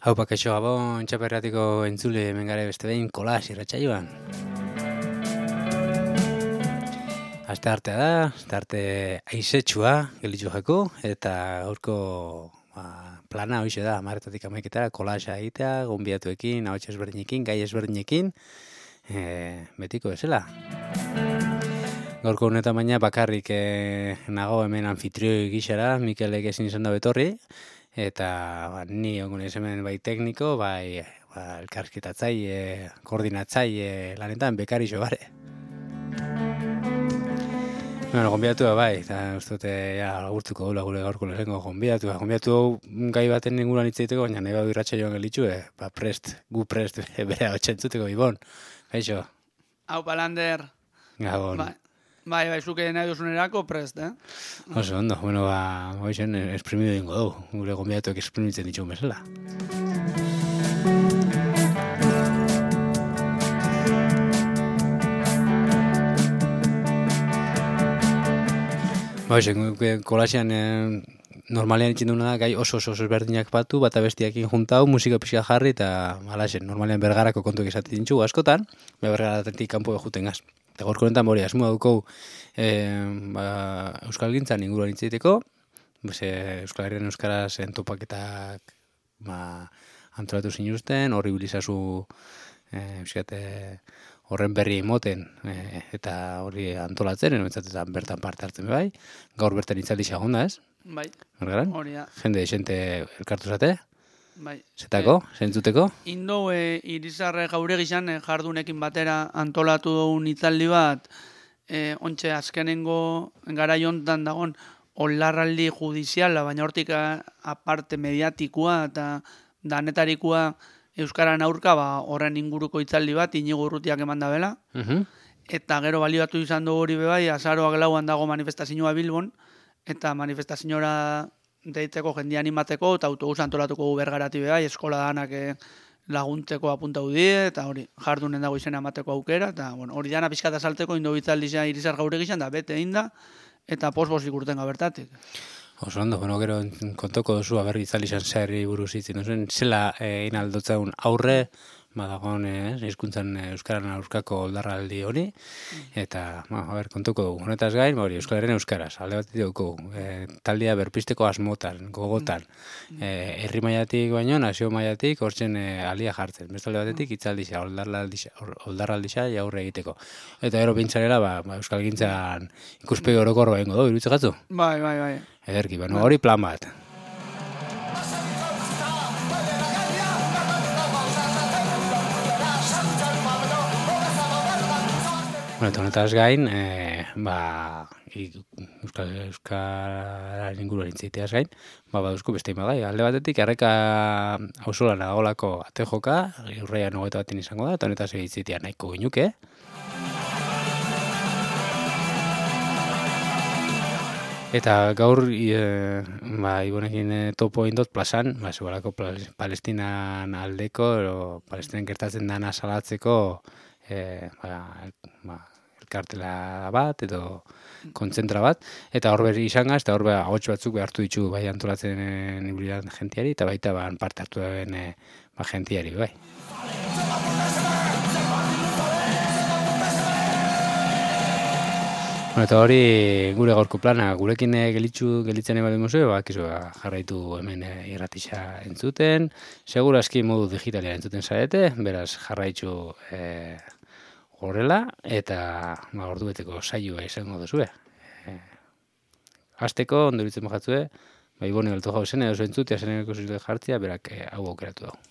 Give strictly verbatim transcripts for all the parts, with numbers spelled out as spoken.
Hau pakeixo gabon txaperratiko entzule hemen gare beste behin kolas irratsaioan. Aste artea da, aste arte aizetsua gelitzu jako, eta gaurko ba, plana hoxe da, hamarretatik hamaiketara kolasa egitea, gonbidatuekin, ahots ezberdinekin, gai ezberdinekin, e, betiko bezala. Gaurko honetan baina bakarrik e, nago hemen anfitrioi gixara, Mikelek ezin izan da betorri, eta ba, ni ongo naiz hemen bai tekniko, bai ba, elkarrizketatzaile, koordinatzaile lanetan bekarixo bare. Bueno, gonbidatua bai, eta uste dute ja, agurtuko dula gure gaurko lehenko gonbidatua. Gonbidatu gai baten inguruan hitz egiteko, baina nahi badu irratxa joan gelitxu, eh? Ba prest, gu prest, bere hau txentzuteko Ibon. Gaixo. Hau palander. Gabon. Bai, bai, bai, zuke nahi duzunerako prest, eh? Oso ondo, bueno, ba, hoxen esprimidu dingo dugu, gure gonbidatuak esprimitzen ditxun bezala. Ba, hoxe, kolasean eh, normalean itxin duguna da, gai oso oso oso ezberdinak batu, bata bestiakin juntau, musika pixka jarri, eta alaxen, normalean bergarako kontuak esaten dintxu askotan, bergaratetik kanpo juten gaz. Eta gorko honetan hori, asmoa dukau e, ba, Euskal Gintzan inguruan itzaiteko, Euskal Herrian Euskaraz entopaketak ba, antolatu zinuzten, horri bilizazu e, euskate, horren berri emoten e, eta hori antolatzen, eta bertan parte hartzen bai, gaur bertan itzaldi xagonda ez? Bai, Margaran? hori da. Jende, xente elkartu zate? Bai. Zetako, e, zentzuteko? Indo e, irizarre jaure gizan e, jardunekin batera antolatu dugun itzaldi bat, e, ontxe azkenengo garaiontan dagon olarraldi judiziala, baina hortik aparte mediatikoa eta danetarikoa Euskaran aurka, ba, horren inguruko itzaldi bat, Inigo Urrutiak eman da bela. Uh-huh. Eta gero baliatu izan du hori bebai, azaroak lauan dago manifestazioa Bilbon, eta manifestazioa deitzeko jendia animateko, eta autobus antolatuko bergarati bebai, eskola danak laguntzeko apuntau die, eta hori jardunen dago izena emateko aukera, eta bueno, hori dana pixkata saltzeko indo bitzaldizia irizar gaur egizan, da bete egin da, eta posbos ikurten gabertatik. Oso ondo, bueno, gero kontoko duzu aberri itzalizan zerri buruz itzin duzen, zela egin aldotzaun aurre, badagoen hizkuntzan euskaran aurkako oldarraldi hori, eta, ba, a ber, kontuko dugu. Honetaz gain, hori, Euskal Herrian euskaraz, alde bat dugu, e, taldea berpisteko asmotan, gogotan, e, herri mailatik baino, nazio mailatik, hortzen e, alia jartzen. Beste alde batetik, itzaldisa, oldarraldisa aurre egiteko. Eta gero pintzarela, ba, ba, Euskal Gintzan ikuspegi orokor baingo du, iruditzen gatzu? Bai, bai, bai. Ederki, bueno, hori plan bat. Bueno, eta honetaz gain, e, ba, Euskal Euskararen inguruan intziteaz gain, ba, baduzko beste imagai. Alde batetik, Erreka auzolan agolako ate joka, urreian hogeita baten izango da, eta honetaz egitzitea nahiko ginuke. Eta gaur, e, ba, Ibonekin e, topo indot plazan, ba, zubalako Palestinan aldeko, ero, Palestinan gertatzen dana salatzeko, e, ba, ba, elkartela bat, edo kontzentra bat, eta hor berri izan gaz, eta hor ba, ahots batzuk behartu ditu bai antolatzen ibiliran jentiari, eta baita ba, parte hartu den e, ba, jentiari, bai. Bueno, eta hori gure gaurko plana, gurekin gelitzu gelitzen eba demozu, ba, kizu, ba, jarraitu hemen irratisa entzuten, segura aski modu digitalia entzuten zarete, beraz jarraitzu e, horrela, eta ba, ordu beteko saioa izango duzue. E, Azteko, ondoritzen bajatzue, ba, Ibone galtu jau zen, edo entzutea zen egoko zuzute jartzia, berak e, hau aukeratu dago.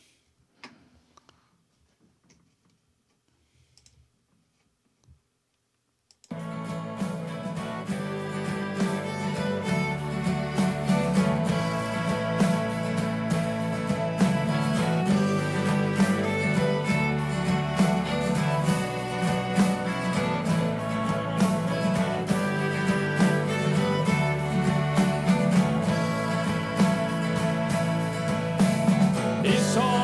It's all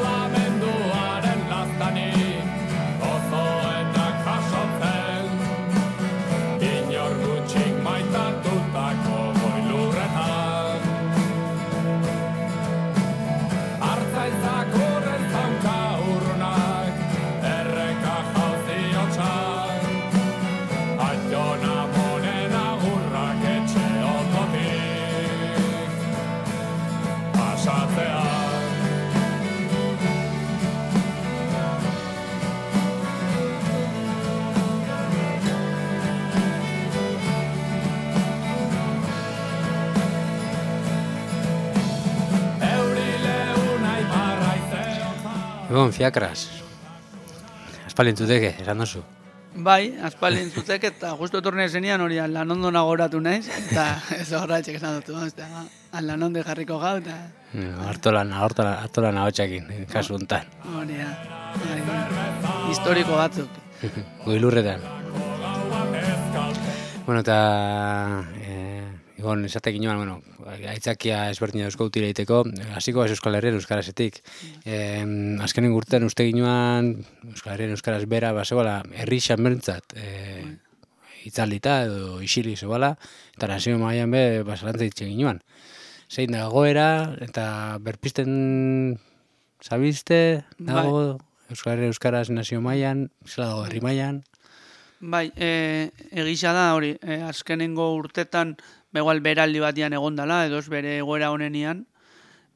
Egon, fiakras. Aspalintuteke, esan dozu. Bai, aspaldin zutek eta justu etorne zenian hori lan ondo nagoratu naiz, eta ez horretxek esan dutu, lan ondo jarriko gau, eta... Artolan, artolan, artolan ahotsakin, kasu hontan. Hori da, historiko batzuk. Goilurretan. Bueno, eta... Egon, esatek inoan, bueno, aitzakia ezberdina eusko utile egiteko, hasiko ez Euskal Herrian euskarazetik. Eh, azkenen urtean uste ginoan, Euskal Herrian euskaraz bera, bazegoela, herri xanbertzat, eh, itzaldita edo isili zebala, eta nazio mailan be, basalantza ditzen ginoan. Zein da goera, eta berpisten zabizte, dago, Euskal Herrian euskaraz nazio mailan, zela dago herri mailan. Bai, e, egisa da hori, e, azkenengo urtetan, begoal beraldi batian egondala, edo ez bere egoera honenian,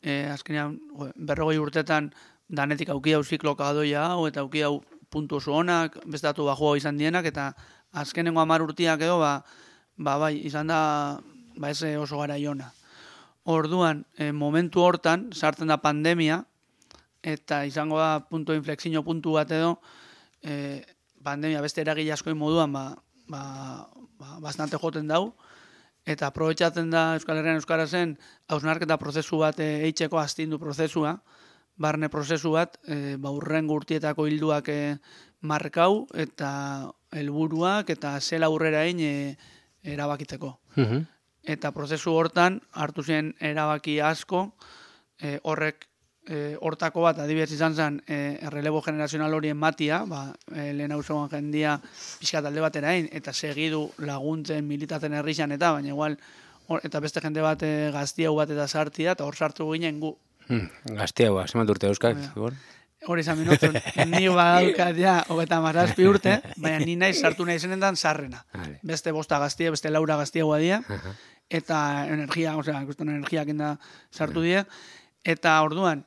e, azkenean berrogei urtetan danetik auki hau zikloka doia hau, eta auki hau puntu oso honak, bestatu bajua izan dienak, eta azkenengo hamar urtiak edo, ba, ba bai, izan da, ba ez oso gara iona. Orduan, e, momentu hortan, sartzen da pandemia, eta izango da punto inflexio puntu bat edo, e, pandemia beste eragile askoin moduan, ba, ba, ba, bastante joten dau, eta aprobetxatzen da Euskal Herrian euskarazen hausnarketa prozesu bat eitzeko astindu prozesua, barne prozesu bat, e, ba, urrengo urtietako hilduak e, markau eta helburuak eta zela aurrera egin e, erabakitzeko. Uh-huh. Eta prozesu hortan hartu zen erabaki asko, e, horrek e, hortako bat adibidez izan zen e, errelebo generazional horien matia, ba, e, lehen hau zegoen jendia pixka talde batera egin, eta segidu laguntzen militatzen herrixan eta, baina igual, or, eta beste jende bat e, gaztiau bat eta sartia, eta hor sartu ginen gu. Hmm, gaztiau, zemat urte euskak? Hori izan minutzen, ni badaukat ja, hogeta mazazpi urte, baina ni naiz sartu nahi zenetan sarrena. Vale. Beste bosta gaztia, beste laura gaztia guadia, uh-huh. Eta energia, osea, ikusten energiak inda sartu die, eta orduan,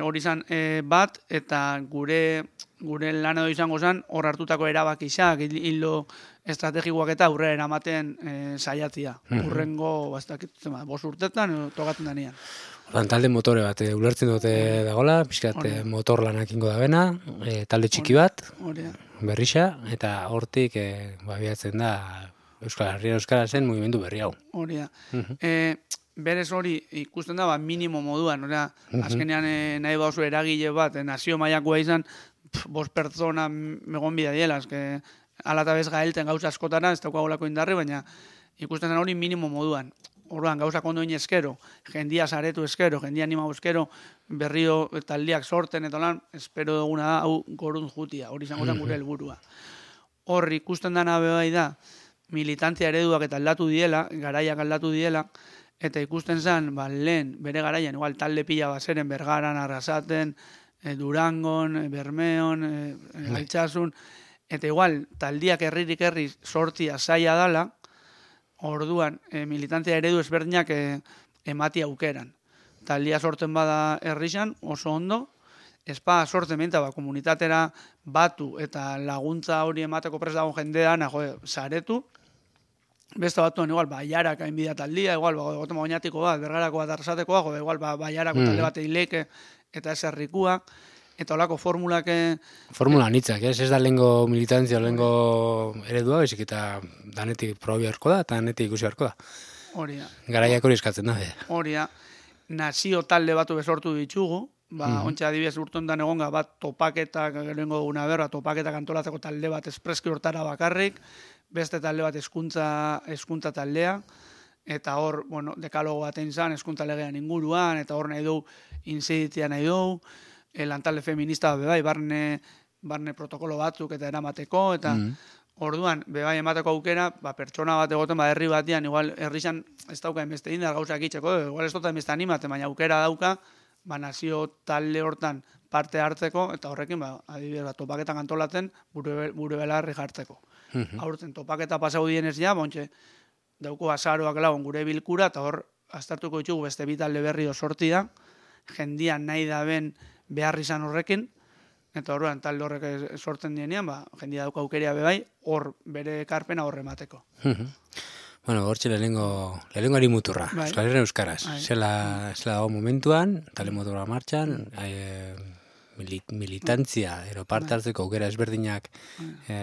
hori izan e, bat, eta gure gure lan edo izango zen, hor hartutako erabakixak, hildo estrategikoak eta aurrera eramaten e, saiatzia. Uh-huh. Urrengo, bastak, zema, bos urtetan, tokatzen danean. Ordan talde motore bat, e, ulertzen dute dagola, pixkat e, motor lanak ingo da bena, e, talde txiki bat, berrixa, eta hortik e, babiatzen da Euskal Herria Euskara zen mugimendu berri hau. Hori da. Uh-huh. E, berez hori ikusten da, ba, minimo moduan, ora, uh-huh. Azkenean e, nahi bauzu eragile bat, e, nazio mailakoa izan, pff, bost pertsona megon bida diela, eske alata bez gaelten gauza askotara, ez daukagolako indarri, baina ikusten da hori minimo moduan. Orduan, gauza kondo egin eskero, jendia saretu eskero, jendia animau eskero, berrio taldiak sorten, eta lan, espero duguna da, hau gorun jutia, hori izango zen gure helburua. Hor ikusten dana bai da, militantzia ereduak eta aldatu diela, garaiak aldatu diela, eta ikusten zen, ba, lehen, bere garaian, igual talde pila bazeren, Bergaran, Arrasaten, e, Durangon, e, Bermeon, e, e, Altsasun, eta igual, taldiak herririk herri sortzia zaila dala, orduan, e, militantzia eredu ezberdinak e, emati aukeran. Taldia sortzen bada herrixan, oso ondo, espa sortzen benta, ba, komunitatera batu eta laguntza hori emateko prest dago jendean, jo, saretu, beste batuan, igual, baiarak hainbida taldia, igual, ba, gotema oinatiko bat, Bergarako bat arrasatekoa, jo, igual, ba, baiarako mm. talde bat eileke, eta ez herrikua, eta holako formulak... Formula nitzak, ez? Ez da lehengo militantzia, lehengo eredua, bezik eta danetik probi harko da, eta danetik ikusi harko da. Hori da. Garaiak hori eskatzen da. Hori da. Nazio talde batu bezortu ditugu, ba, mm. ontsa adibidez urtondan egonga bat topaketak, geroengo duguna berra, topaketak antolatzeko talde bat espreski hortara bakarrik, beste talde bat eskuntza, eskuntza taldea, eta hor, bueno, dekalogo bat einzan, eskuntza legean inguruan, eta hor nahi dugu, inziditzia nahi dugu, lantalde feminista bebai, barne, barne protokolo batzuk eta eramateko, eta mm. orduan, bebai emateko aukera, ba, pertsona bat egoten, ba, herri batian, igual, herrixan ez dauka enbeste indar gauzak itxeko, igual ez dut enbeste animate, baina aukera dauka, ba, nazio talde hortan parte hartzeko, eta horrekin, ba, adibidez, ba, topaketak antolatzen, bure, bure belarri jartzeko. Mm-hmm. Aurten, topaketa pasau dienez ja, bontxe, dauko azaroak lagun gure bilkura, eta hor, aztertuko ditugu beste bi talde berri sortia, jendia nahi da ben behar izan horrekin, eta horrean talde horrek sortzen dienean, ba, jendia dauka aukeria bebai, hor bere ekarpena horre mateko. Bueno, hortxe lehenengo, lehenengo ari muturra, bai. Euskal Herrian euskaraz. Bai. Zela, zela dago momentuan, talde motorra martxan, mm. militantzia, ero parte hartzeko aukera ezberdinak e,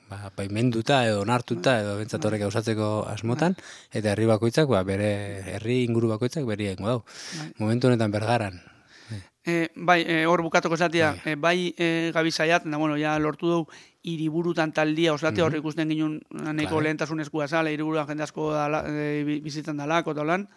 ba, baimenduta edo onartuta edo bentsat horrek gauzatzeko asmotan, eta herri bakoitzak, ba, bere herri inguru bakoitzak berri egingo dau. Momentu honetan Bergaran. E, bai, e, hor bukatuko esatia, bai, e, bai e, gabi zaiat, da, bueno, ja lortu dugu hiriburutan taldia osatia, mm -hmm. hor ikusten ginen nahiko claro. lehentasun eskua zala, hiriburuan jende asko dala, e, bizitzen dalako, eta holan,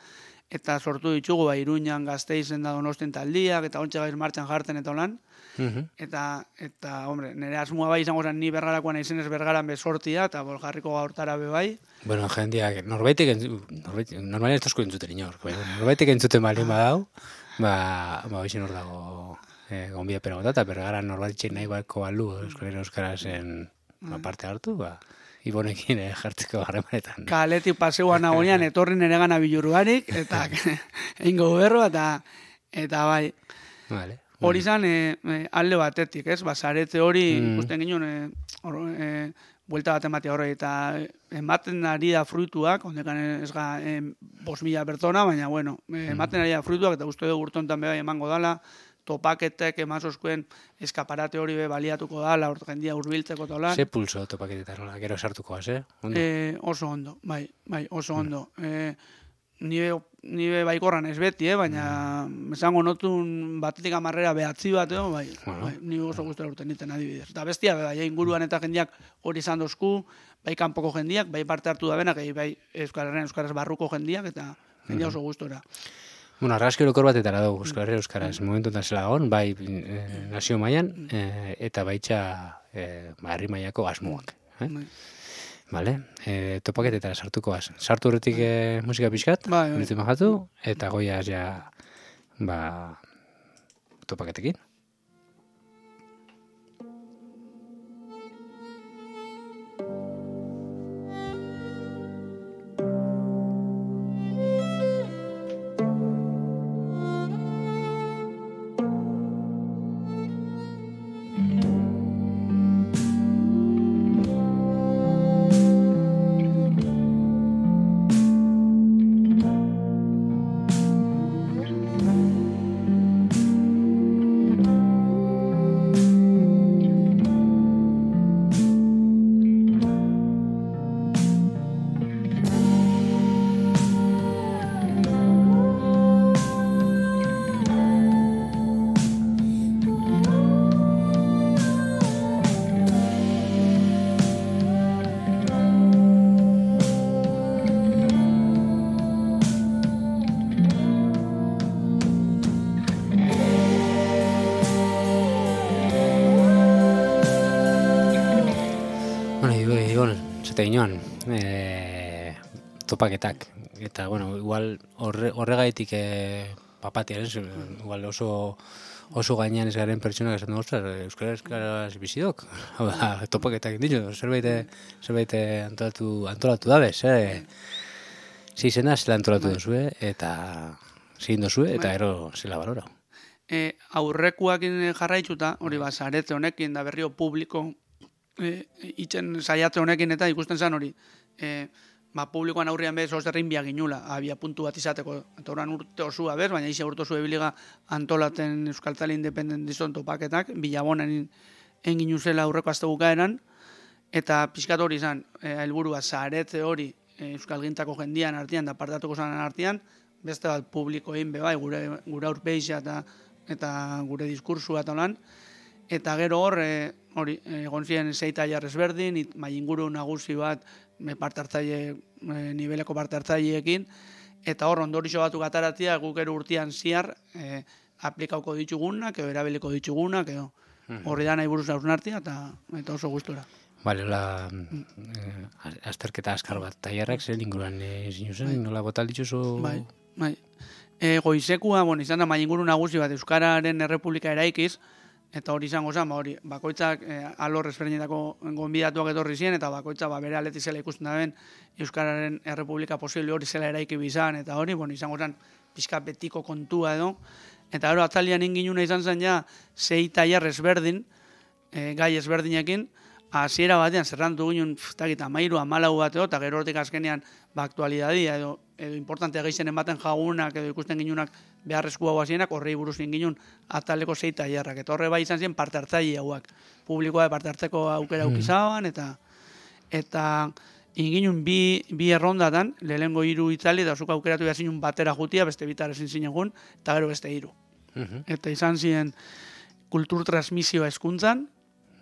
eta sortu ditugu, ba, Iruñan, Gasteizen da Donostian taldiak, eta ontsa gaiz martxan jartzen eta holan, mm -hmm. eta, eta, hombre, nire asmoa bai izango zen ni Bergarakoan aizenez Bergaran bezortia, eta bol jarriko gaurtara be bai. Bueno, jendeak, norbaitek, norbaitek, normalien ez tozko entzuten inor, norbaitek entzuten balin badau, ba, ba, hoxen hor dago e, gonbia pera gota, eta Bergaran norbaitxein nahi bako balu, Euskal Euskarazen ba, parte hartu, ba, Ibonekin eh, jartzeko harremanetan. Kaletik paseuan nagoenean, etorri nire gana bilurruarik, eta eingo berro, eta, eta bai. Vale. Hori zan, e, e, alde batetik, ez? Ba, zarete hori, mm. ikusten ginen, e, e, buelta bat ematea horre, eta ematen ari da fruituak, ondekan ez ga, e, bos mila pertsona, baina, bueno, e, ematen ari da fruituak, eta uste dugu urtontan bebai emango dala, topaketek emazoskuen eskaparate hori be baliatuko dala, hor jendia urbiltzeko tolan. Ze pulso topaketetan, nola, gero sartuko az, eh? Ondo? E, oso ondo, bai, bai, oso ondo. Mm. E, Nibe, nibe baikorran ez beti, eh? Baina mm. esango notun batetik amarrera behatzi bat, eh? bai, bueno. bai, ni oso guztera urten niten adibidez. Eta bestia, bai, inguruan eta jendiak hori izan dozku, bai kanpoko jendiak, bai parte hartu da benak, bai Euskal Herrian Euskaraz barruko jendiak, eta jendia oso guztora. Bueno, argazki orokor batetara dugu Euskal Herria Euskaraz, mm. momentuetan zela gon, bai e, nazio mailan, e, eta baitxa e, ba, herri mailako asmoak. Eh? Bai. Vale, e, topaketetara sartuko az. Sartu horretik e, musika pixkat, bai, bai. Majatu, eta goiaz ja ba, topaketekin. Inoan, e, topaketak, eta, bueno, igual horre, horregaitik e, papatiaren, igual oso, oso gainean ez garen pertsonak esan dugu, Euskara Euskaraz bizidok, hau da, topaketak ditu, zerbait, zerbait antolatu, antolatu dabe, zer, zizena zela antolatu duzue, eta zin duzue, eta ero zela balora. E, aurrekuakin jarraitzuta, hori ba, zarete honekin da berrio publiko, E, itzen saiatze honekin eta ikusten zen hori e, ba, publikoan aurrian bez osterrin biak ginula, abia puntu bat izateko eta horan urte osua bez, baina isi urte osua ebiliga antolaten Euskaltzale independentizon topaketak, bilabonen engin uzela aurreko azte bukaeran, eta pixkat hori izan, helburua zaretze hori e, Euskalgintako jendian artean da partatuko zanen artean, beste bat publikoein bebai, gure, gure aurpeixa eta, eta gure diskursua eta holan, eta gero hor, e, hori, egon ziren zei tailar ezberdin, mai inguru nagusi bat parte hartzaile, e, niveleko parte hartzaileekin, eta hor ondorixo batuk ataratia guk ero urtean ziar e, aplikauko ditugunak, edo erabiliko ditugunak, edo horri da nahi buruz hausnartia, eta, eta oso gustora. Bale, hola, eh, azterketa askar bat, tailarrak zer inguruan e, zinuzen, bai. Nola botal dituzu? Bai, bai. E, goizekua, bueno, izan da mai inguru nagusi bat Euskararen Errepublika eraikiz, eta hori izango zen, ba, hori, bakoitzak e, alor ezberdinetako gonbidatuak etorri ziren, eta bakoitzak ba, bere aletik zela ikusten da ben, Euskararen Errepublika posible hori zela eraiki bizan, eta hori, bueno, izango zen, pixka betiko kontua edo, eta gero atzalian inginuna izan zen ja, zei tailar ezberdin, e, gai ezberdinekin, hasiera batean zerrantu ginen, pftakit, amairu, amalau bateo, eta gero hortik azkenean, ba, aktualidadia, edo, edo importantea geixen ematen jagunak, edo ikusten ginunak beharrezkoa guazienak, horrei buruz ginen ataleko zei tailerrak. Eta horre bai izan ziren parte hartzaile hauak. Publikoa parte hartzeko aukera aukizaban, eta eta inginen bi, bi errondatan, lehengo hiru itzali, eta zuk aukeratu behar zinun batera jutia, beste bitar ezin zinegun, eta gero beste hiru. Eta izan ziren kultur transmisioa hezkuntzan,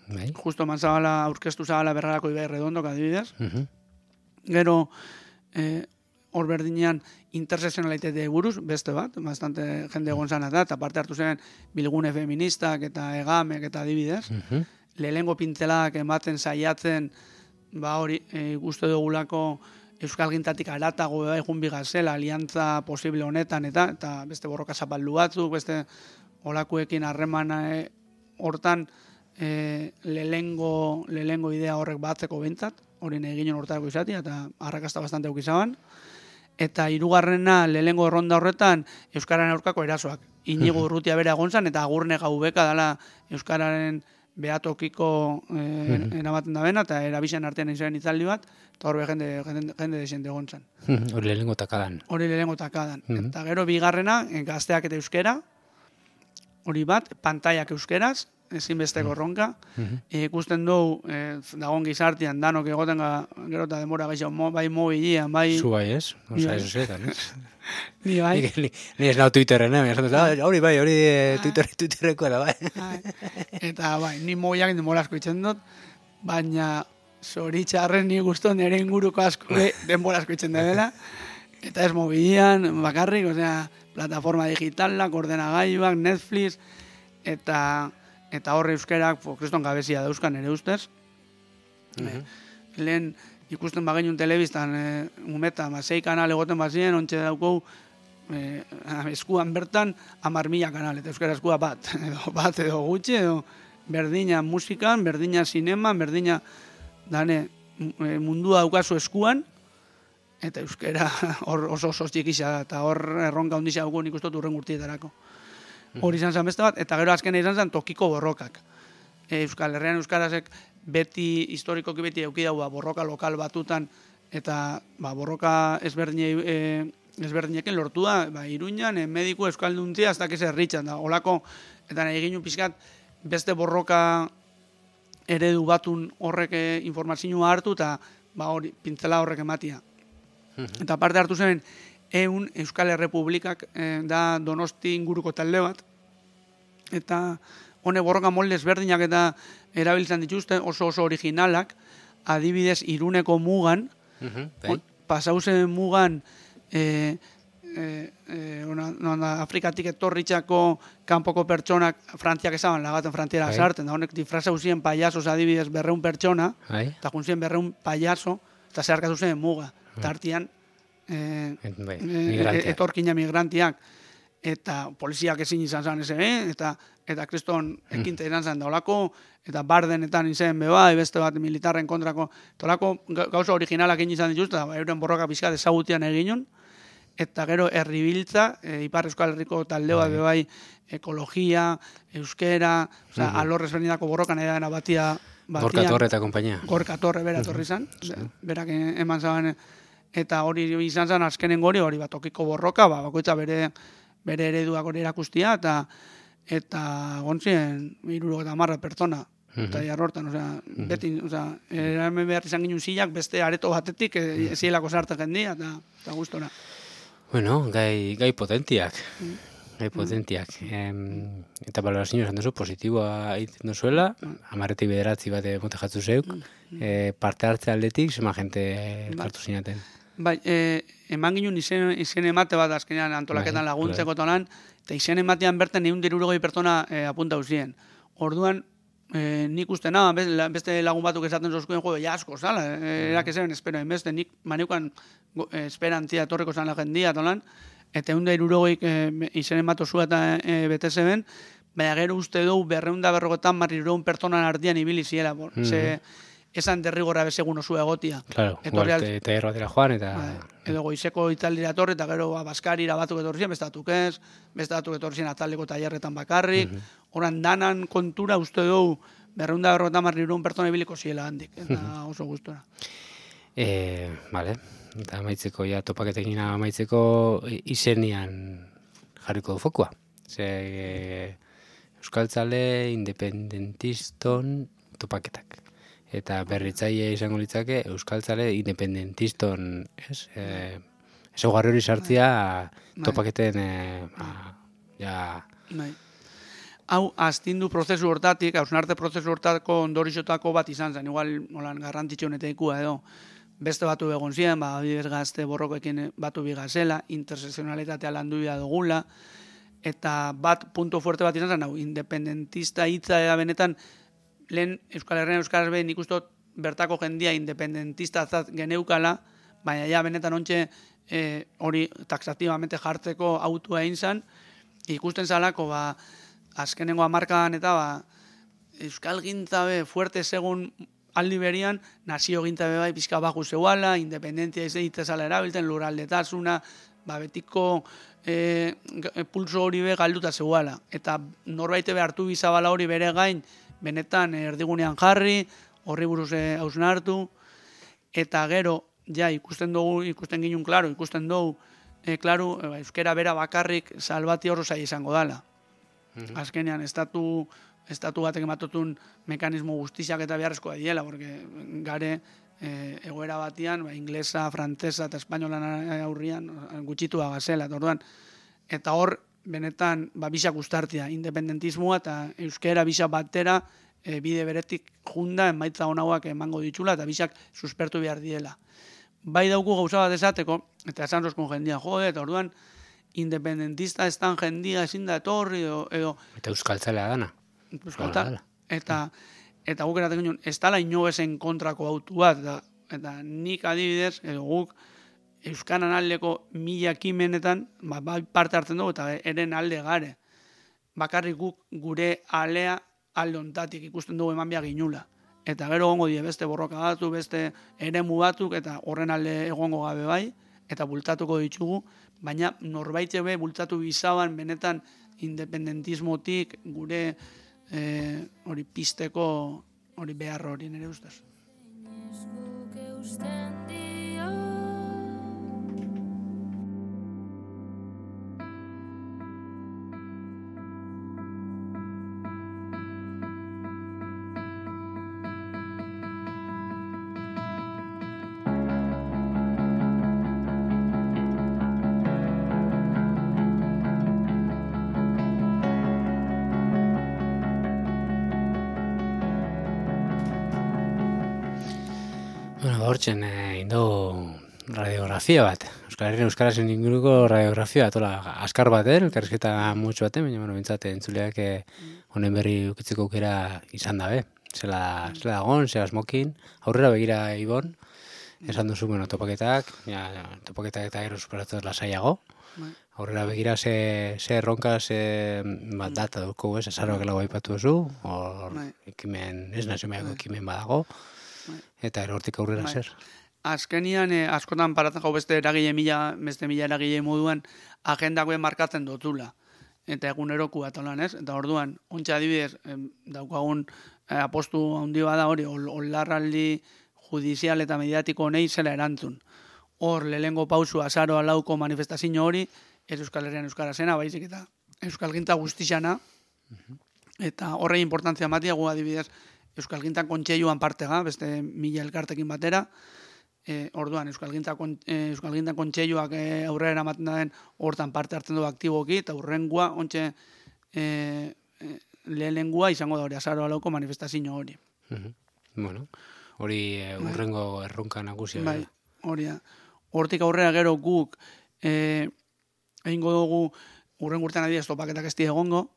Bai. justo eman zabala, aurkeztu zabala berrarako Ibai Redondok adibidez. Gero, eh, hor berdinean interseksionalitate buruz, beste bat, bastante jende egon zan eta, eta parte hartu zen bilgune feministak eta egamek eta adibidez. Lehengo pintzeladak ematen saiatzen, ba hori, e, guzti dugulako Euskal Gintatik aratago bai egun bigazela, aliantza posible honetan, eta eta beste borroka zapaldu batzuk, beste olakuekin harremana e, hortan e, lehengo, lehengo idea horrek batzeko bentzat, hori eginen hortarako izatea, eta arrakasta bastante aukizaban. Eta hirugarrena lehengo erronda horretan Euskararen aurkako erasoak. Inigo Urrutia bera egon zan, eta Agurne Gaubeka dela Euskararen behatokiko eh, eramaten da bena, eta erabixen artean izan itzaldi bat, eta horbe jende, jende, jende desente egon zan. Hori lehengo takadan. Hori lehengo takadan. Eta gero bigarrena, gazteak eta euskera, hori bat, pantaiak euskeraz, ezinbesteko erronka. E, ikusten dugu, e, dagoen gizartian, danok egoten ga, gero eta demora gaixo, mo, bai mobilian, bai... Zu bai ez? Osa, eso zetan, ez? Ni bai. Ni, ni, ni ez nau Twitterren, eh? Hori bai, hori Twitter, Twitterreko era, bai. Eta bai, ni mobiliak demora asko itzen dut, baina zoritxarren ni guztu nire inguruko asko denbora asko itzen dela. Eta ez mobilian, bakarrik, osea, plataforma digitalak, ordenagailuak, Netflix, eta... eta horre euskerak, kriston gabezia dauzkan ere ustez. Uh-huh. Lehen ikusten bagenun telebistan, e, umeta, sei kanal egoten bazien, ontsa daukau, e, eskuan bertan, amar mila kanal, eta euskara eskua bat, edo bat edo gutxi, edo berdina musikan, berdina zineman, berdina, dane, mundua daukazu eskuan, eta euskara hor oso oso txikisa, eta hor erronka ondizia daukau nik ustot urren gurtietarako. Hori izan zen beste bat, eta gero azkena izan zen tokiko borrokak. E, Euskal Herrian Euskarazek beti, historikoki beti euki daua borroka lokal batutan, eta ba, borroka ezberdine, e, ezberdinekin lortu da, ba, Iruñan, e, mediku euskalduntzia, ez dakiz erritxan da, olako, eta nahi egin pixkat, beste borroka eredu batun horrek e, informazioa hartu, eta ba, hori, pintzela horrek ematia. Eta parte hartu zen, Eun Euskal Errepublikak eh, da Donosti inguruko talde bat, eta hone borroka molde ezberdinak eta erabiltzen dituzte oso oso originalak, adibidez Iruneko mugan, uh-huh, pasauzen mugan e, e, e, ona, ona, Afrikatik etorritxako kanpoko pertsonak Frantziak ezaban lagaten frontiera sartzen, da honek difraza uzien payasos adibidez berreun pertsona, eta juntzien berreun payaso, eta zeharkatu zen muga, eta artian Eh, eh, etorkina migrantiak eta poliziak ezin izan zan eze, eh? eta eta kriston ekinte izan zan daulako, eta bardenetan izen beba, beste bat militarren kontrako, tolako gauza originalak egin izan dituz, eta euren borroka pixka ezagutian eginun, eta gero herribiltza, e, Ipar Euskal Herriko talde bat bebai, ekologia, euskera, oza, uh-huh, alor ezberdinako borrokan edana batia, batian, Gorka Torre eta kompainia. Gorka Torre bera torri zan, uh-huh, berak eman zaban, eta hori izan zen azkenen gori, hori bat tokiko borroka, ba, bakoitza bere, bere ereduak hori erakustia, eta eta gontzien iruro eta marra pertsona, uh-huh, eta jarrortan, osea, uh-huh, beti, osea, eramen behar izan ginen zilak, beste areto batetik, e, zielako sartzen jendia, eta, eta gustora. Bueno, gai, gai potentiak, uh-huh, gai potentiak. Uh-huh. Em, eta balorazio esan duzu, positiboa egiten duzuela, uh-huh, amarretik bederatzi bate mote jatzu zeuk, uh-huh, e, parte hartze aldetik, zema jente hartu zinaten. Bai, eh, eman ginen izen, izen emate bat azkenean antolaketan laguntzeko tolan, eta izen ematean berten egun dirurogoi pertsona eh, apunta uzien. Orduan, eh, nik uste na, beste lagun batuk esaten zozkuen jo, ja asko, zala, eh, erak ezen espero, enbeste, nik maneukan eh, esperantzia etorreko zan la jendia tolan, eta egun dirurogoik eh, izen emato zua eta eh, bete zeben, baina gero uste dugu berreunda berrogetan marrirogun pertsonan ardian ibili ziela, por, mm-hmm, ze, esan derrigorra bezegun osu egotia. Claro, igual, eta erro dira joan, eta... Ba, edo goizeko itzaldira etorri, eta gero Baskarira batuk etorrien, bestatuk ez, bestatuk etorrien ataldeko tailerretan bakarrik, uh-huh, oran danan kontura uste dugu, berreunda berrota marrirun pertsona ibiliko ziela handik, eta oso gustora. E, vale, eta amaitzeko, ja, topaketekin amaitzeko izenian jarriko du fokua. Ze, e, euskaltzale independentiston topaketak. Eta berritzaile izango litzake euskaltzale independentiston, ez? E, Ezaugarri hori sartzia topaketen, e, ba, ja... Bai. Hau, astindu prozesu hortatik, hausnarte prozesu hortako ondorixotako bat izan zen, igual, holan, garrantzitsu honetekua edo, beste batu egon ziren, ba, bidez gazte borrokoekin batu bigazela, interseksionalitatea landu bida dugula, eta bat punto fuerte bat izan zen, hau, independentista hitza eda benetan, lehen Euskal Herrian Euskaraz behin ikustot bertako jendia independentista zat geneukala, baina ja benetan ontxe hori e, taxatibamente jartzeko autua egin zen, ikusten zalako, ba, azkenengo hamarkadan eta ba, Euskal gintzabe fuerte segun aldi berian, nazio gintzabe bai pizka baju zeuala, independentzia itzezala erabilten, luraldetasuna, ba, betiko e, pulso hori be galduta zeuala. Eta norbaite be hartu bizabala hori bere gain, benetan erdigunean jarri, horri buruz hausnartu, eta gero, ja, ikusten dugu, ikusten ginun, klaro, ikusten dugu, e, klaro, e, euskera bera bakarrik salbati hor zai izango dala. Mm-hmm. Azkenean, estatu, estatu batek ematotun mekanismo guztiak eta beharrezkoa diela, porque gare e, egoera batian, ba, inglesa, frantzesa eta espainolan aurrian gutxitua gazela, eta, eta hor, benetan, ba, bisak ustartia, independentismoa eta euskera bisak batera e, bide beretik junda, emaitza honauak emango ditxula, eta bisak suspertu behar diela. Bai dauku gauza bat esateko, eta esan roskun jendia, jode, eta orduan, independentista estan jendia ezin da etorri, edo... edo eta euskaltzalea dana. Euskaltzalea. Eta, eta guk eratek ginen, ez dala inobezen kontrako autu bat, eta, eta nik adibidez, edo guk, euskanan aldeko mila kimenetan, ba, ba, parte hartzen dugu, eta eren alde gare. Bakarrik guk gure alea alde ontatik ikusten dugu eman behar ginula. Eta gero gongo die beste borroka batu, beste eremu batzuk, eta horren alde egongo gabe bai, eta bultatuko ditugu, baina norbaitze be bultatu bizaban benetan independentismotik gure hori e, pisteko hori behar hori nire ustez. Hortzen, eh, indo radiografia bat. Euskal Herrian Euskarazen inguruko radiografia bat, ola, askar bat, eh? Elkarrizketa mutxo baten, baina, bueno, bintzate, entzuleak honen berri ukitzeko aukera izan dabe. Zela, zela dagon, zela smokin, aurrera begira ibon, esan duzu, bueno, topaketak, ja, topaketak eta gero superatzen lasaiago. Aurrera begira ze, ze erronka, ze bat data duko, ez, azaroak lau aipatu duzu, hor ekimen, ez naziomeako ekimen badago. Eta erortik aurrera bai. Zer? Azkenian, eh, askotan paratzen jau beste eragile mila, beste mila eragile moduan, agendakoen markatzen dotula. Eta eguneroku bat olan, ez? Eta orduan, ontsa adibidez, eh, daukagun eh, apostu handi bada hori, olarraldi judizial eta mediatiko honei zela erantzun. Hor, lehengo pausu azaro alauko manifestazio hori, ez Euskal Herrian Euskara zena, baizik eta Euskal Ginta guztixana, uh-huh. Eta horrei importantzia matia gu adibidez, Euskal Gintan kontseiluan partega, beste mila elkartekin batera, e, orduan Euskal Gintan e, kontseiluak e, aurrera eramaten den hortan parte hartzen du aktiboki, eta urrengua, ontxe e, e, lehenengua izango da hori, azaro alauko manifestazio hori. Uh-huh. Bueno, hori e, urrengo erronka nagusia. Bai, hori da. Hortik aurrera gero guk e, egingo dugu urrengo urtean adibidez topaketak ez egongo,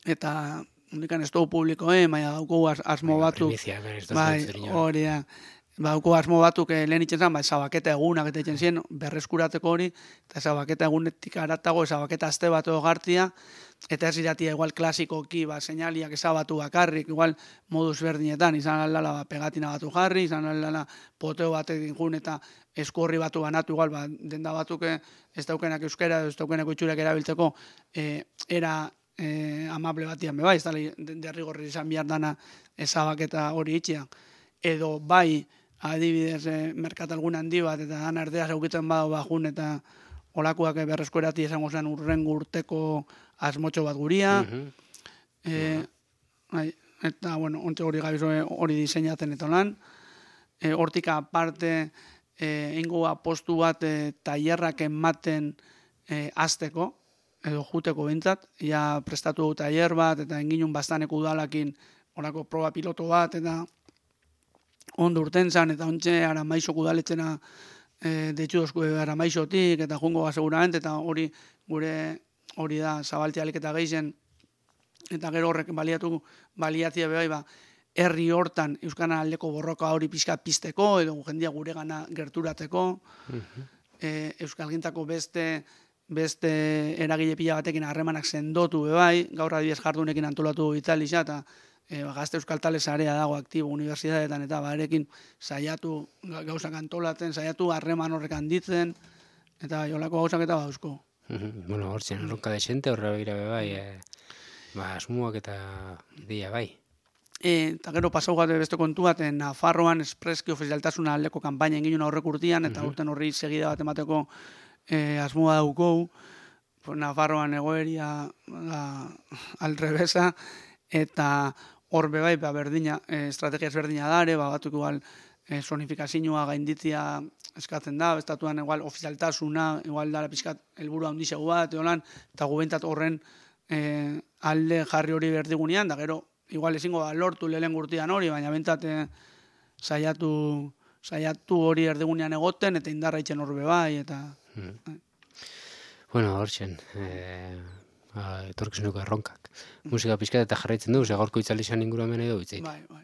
eta Hundikan ez dugu publikoen, baina dauko asmo batzuk. Bai, hori da. Dauko asmo batzuk lehen itzen zen, zabaketa egunak eta itzen zien, berreskurateko hori, eta zabaketa egunetik aratago, zabaketa azte bat egartia, eta ez iratia igual klasikoki, ba, seinaliak ezabatu bakarrik, igual moduz berdinetan, izan aldala ba, pegatina batu jarri, izan aldala poteo batekin jun, eta esku horri batu banatu, igual, ba, denda batzuk ez daukenak euskera, ez daukenak itxurek erabiltzeko, e, era e, amable batian be bai, ez da derrigorri izan behar dana ezabaketa hori itxia. Edo bai, adibidez, e, merkatalgun handi bat, eta han ardea zaukitzen badu bajun, eta olakoak berreskuerati esango zen urrengo urteko asmotxo bat guria. Uh-huh. e, bai, eta, bueno, ontsa hori gabizo hori diseinatzen eta lan. E, hortik aparte, e, ingo apostu bat e, tailerrak ematen e, azteko, edo juteko bintzat, ja prestatu du tailer bat, eta enginun bastaneko udalakin horako proba piloto bat, eta ondo urten zan, eta ontxe Aramaizok udaletxena e, deitxu dozku Aramaizotik, eta jungo seguramente, eta hori gure hori da zabaltzialik eta geizen, eta gero horrek baliatu, baliatzia bebai, ba, herri hortan Euskana aldeko borroka hori pixka pizteko, edo jendia gure gana gerturateko, uh-huh. e, Euskalgintako beste beste eragile pila batekin harremanak sendotu bebai, gaur adibidez jardunekin antolatu Italixa, eta e, gazte euskaltale sarea dago aktibo unibertsitateetan, eta barekin saiatu gauzak antolatzen, saiatu harreman horrek handitzen, eta jolako gauzak eta bauzko. Bueno, hor zen, erronka desente, horre begira bebai, e, ba, asmuak eta ideia bai. E, eta gero pasau gatu beste kontu bat, Nafarroan espreski ofizialtasuna aldeko kanpaina engin horrek urtian, eta urten horri segida bat emateko E, asmoa daukou, Nafarroan egoeria da, alrebesa, eta hor bebai, ba, berdina, e, estrategia ezberdina dare, ba, batuk igual e, sonifikazioa gainditzia eskatzen da, estatuan igual ofizialtasuna, igual dara pixkat helburu handixegu bat, eolan, eta gubentat horren e, alde jarri hori berdigunean, da gero, igual ezingo da lortu lehen gurtian hori, baina bentat e, saiatu, saiatu hori erdigunean egoten, eta indarra itxen hor bebai, eta... Hmm. Bueno, hortzen, eh, etorkizunuko erronkak. Musika pixkat eta jarraitzen du, ze gaurko itzalizan inguruan edo bitzeit. Bai, bai.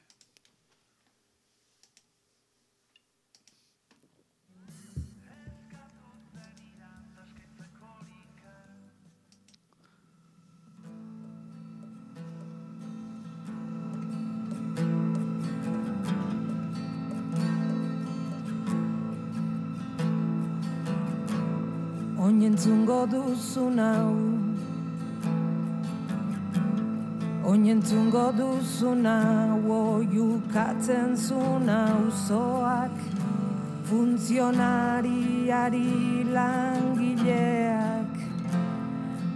Oinentzungo duzun hau, oinentzungo duzun hau, oiukatzen zun auzoak, funtzionariari langileak,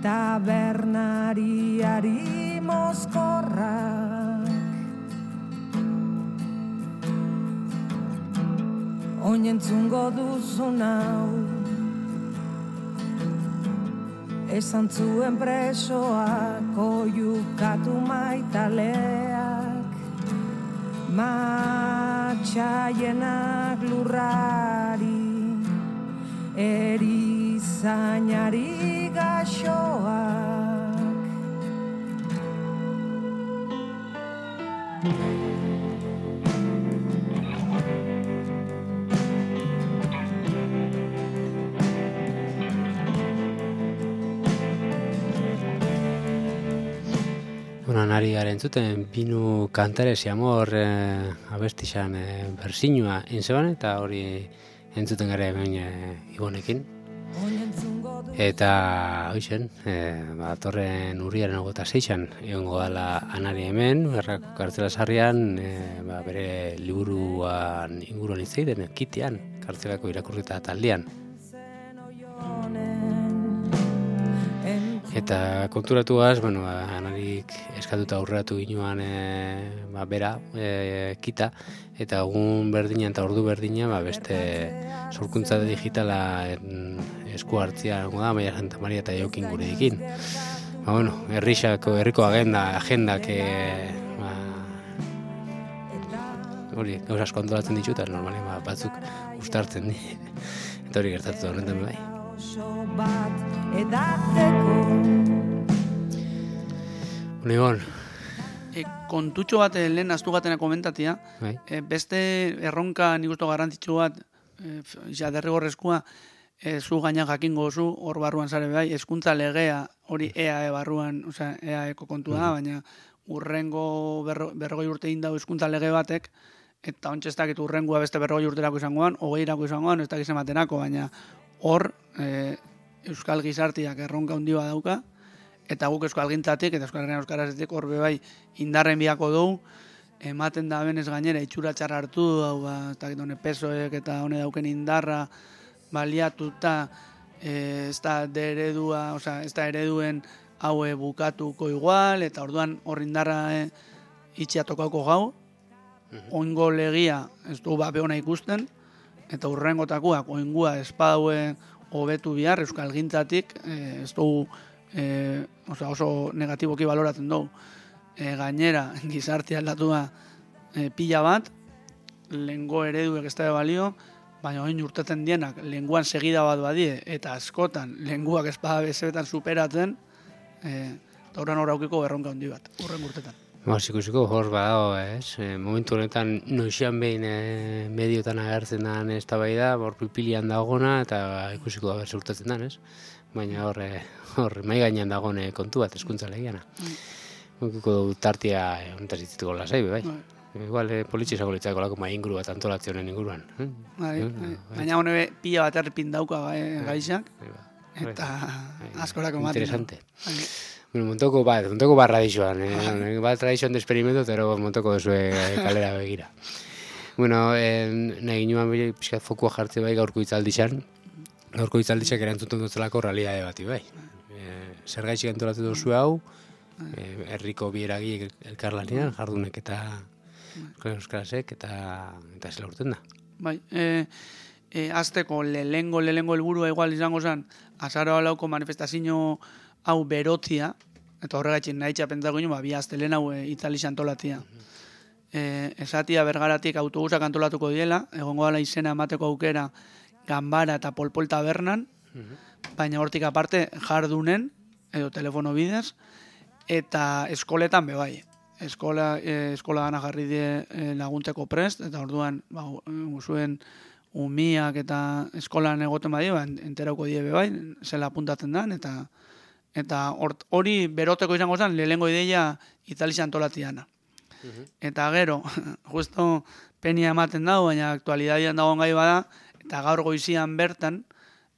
tabernariari mozkorrak. Oinentzungo duzun hau, esan zuen presoak, oiukatu maitaleak, matxaienak lurrari, erizainari gaxoak. Bueno, nari garen zuten, Pinu Kantares amor eh, abestixan eh, bersinua intzeban, eta hori entzuten gara hemen eh, Ibonekin. Eta, hoixen, eh, ba, torren urriaren ogota seixan, egongo dala anari hemen, berrako kartzela sarrian, eh, ba, bere liburuan inguruan itzeiden, kitean, kartzelako irakurrita taldean. Eta konturatuaz, bueno, anarik eskatuta aurreratu ginoan e, ba, bera, e, kita, eta egun berdina eta ordu berdina ba, beste sorkuntza digitala esku hartzia da, Maia Santa Maria eta Jokin gure dikin. Ba, bueno, herrixako, herriko agenda, agendak, e, ba, hori, gauz asko antolatzen ditut, normalen ba, batzuk ustartzen di. Eta hori gertatu da horretan bai. Unibon. E, kontutxo bat e, lehen astu gatena komentatia, bai. e, beste erronka nik uste garrantzitsu bat, e, ja derrigorrezkoa, e, zu gaina jakingo zu, hor barruan zare bai, hezkuntza legea hori E A E barruan, osea, E A Eko kontua da, baina urrengo berro, berrogei urte indau hezkuntza lege batek, eta ontsa ez dakit urrengoa beste berrogei urterako izangoan, hogeirako izangoan, ez dakit ematenako, baina hor e, Euskal gizartiak erronka handi bat dauka, eta guk euskalgintzatik eta euskalgaren euskarazetik horbe bai indarren biako dugu, ematen da benez gainera itxura txarra hartu, hau ba, eta hone pesoek eta hone dauken indarra baliatuta, e, ez da eredua, oza, ez da ereduen haue bukatuko igual, eta orduan hor indarra e, itxia tokauko gau, oingo legia ez du bape hona ikusten, eta urrengotakoak oingua espadaue hobetu bihar euskalgintzatik, e, ez du e, oza, oso negatiboki baloratzen dugu. E, gainera, gizartea aldatua e, pila bat, lengo ereduek ez da balio, baina oin urteten dienak lenguan segida bat badie, eta askotan lenguak espada bezebetan superatzen, e, eta horren horraukiko berronka handi bat, urren urtetan. Mas, ikusiko hor badago, ez? E, momentu honetan noixian behin e, mediotan agertzen den ez da bai da, hor pipilian dagona, eta ikusiko da berse urtatzen den, ez? Baina hor, e, hor mai gainean dagone kontu bat, eskuntza legiana. Mm. Mokiko du tartia honetaz itzituko lasai, bai. Igual, eh, politxizako litzako lako mai inguru bat antolatzionen inguruan. Eh? Bai, bai. Baina hone pila bat errepin dauka gaixak, eta askorako maten. Interesante. Bueno, montoko bat, montoko bat tradizioan, eh? Bat tradizioan de experimento, pero montoko duzue kalera begira. Bueno, eh, nahi ginoan pixkat fokua jartze bai gaurko itzaldixan, gaurko itzaldixak erantzuten dutzelako realidade bati bai. Eh, zer gaitxik antolatu duzu hau, herriko eh, bieragi elkarlanean, jardunek eta euskarasek, eta eta zela urten da. Bai, e, e, azteko lehengo, lehengo helburua igual izango zen, azaroa lauko manifestazio hau berotzia, eta horregatxin nahi txapentako ino, ba, bi aztelen hau e, itzalix antolatzia. E, esatia bergaratik autobusak antolatuko diela, egongo dela izena emateko aukera Ganbara eta Polpol tabernan, baina hortik aparte jardunen, edo telefono bidez, eta eskoletan bebai. Eskola, eh, eskola gana jarri die eh, laguntzeko prest, eta orduan ba, zuen umiak eta eskolan egoten badio, ba, enterauko die bebai, zela apuntatzen dan, eta eta hori beroteko izango zen, lehengo ideia itzaliz antolatiana. Uh-huh. Eta gero, justo penia ematen dago, baina aktualidadian dagoen gai bada, eta gaur goizian bertan,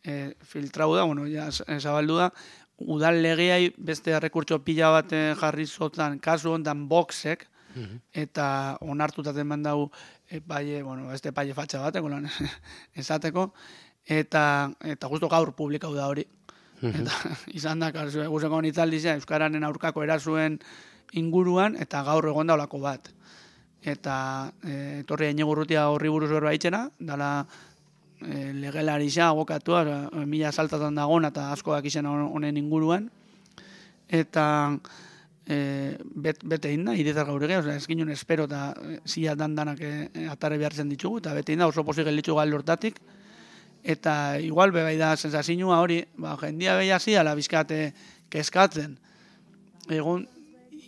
eh, filtrau da, bueno, ja, zabaldu da, udal legeai beste errekurtso pila bat jarri zotan kasu hontan boxek, uh-huh. eta onartutaten mandau epaile, bueno, este epaile fatxa bateko lan esateko, eta eta justo gaur publikau da hori. Uh-huh. Eta izan da, guzeko nitzaldizea, Euskararen aurkako erasuen inguruan, eta gaur egon daulako bat. Eta e, etorri Iñigurrutia horri buruz berba itxena, dala e, legelari xa, abokatua, mila saltatan dagona eta asko dakizena honen inguruan. Eta e, bet, bete inda, irizar gaur egea, ez ginen espero eta zia dandanak e, atare behartzen ditugu, eta bete inda oso posik gelitzu gal lortatik. Eta igual bebai da sensazinua hori, ba, jendia behi hasi, ala bizkate keskatzen. Egun,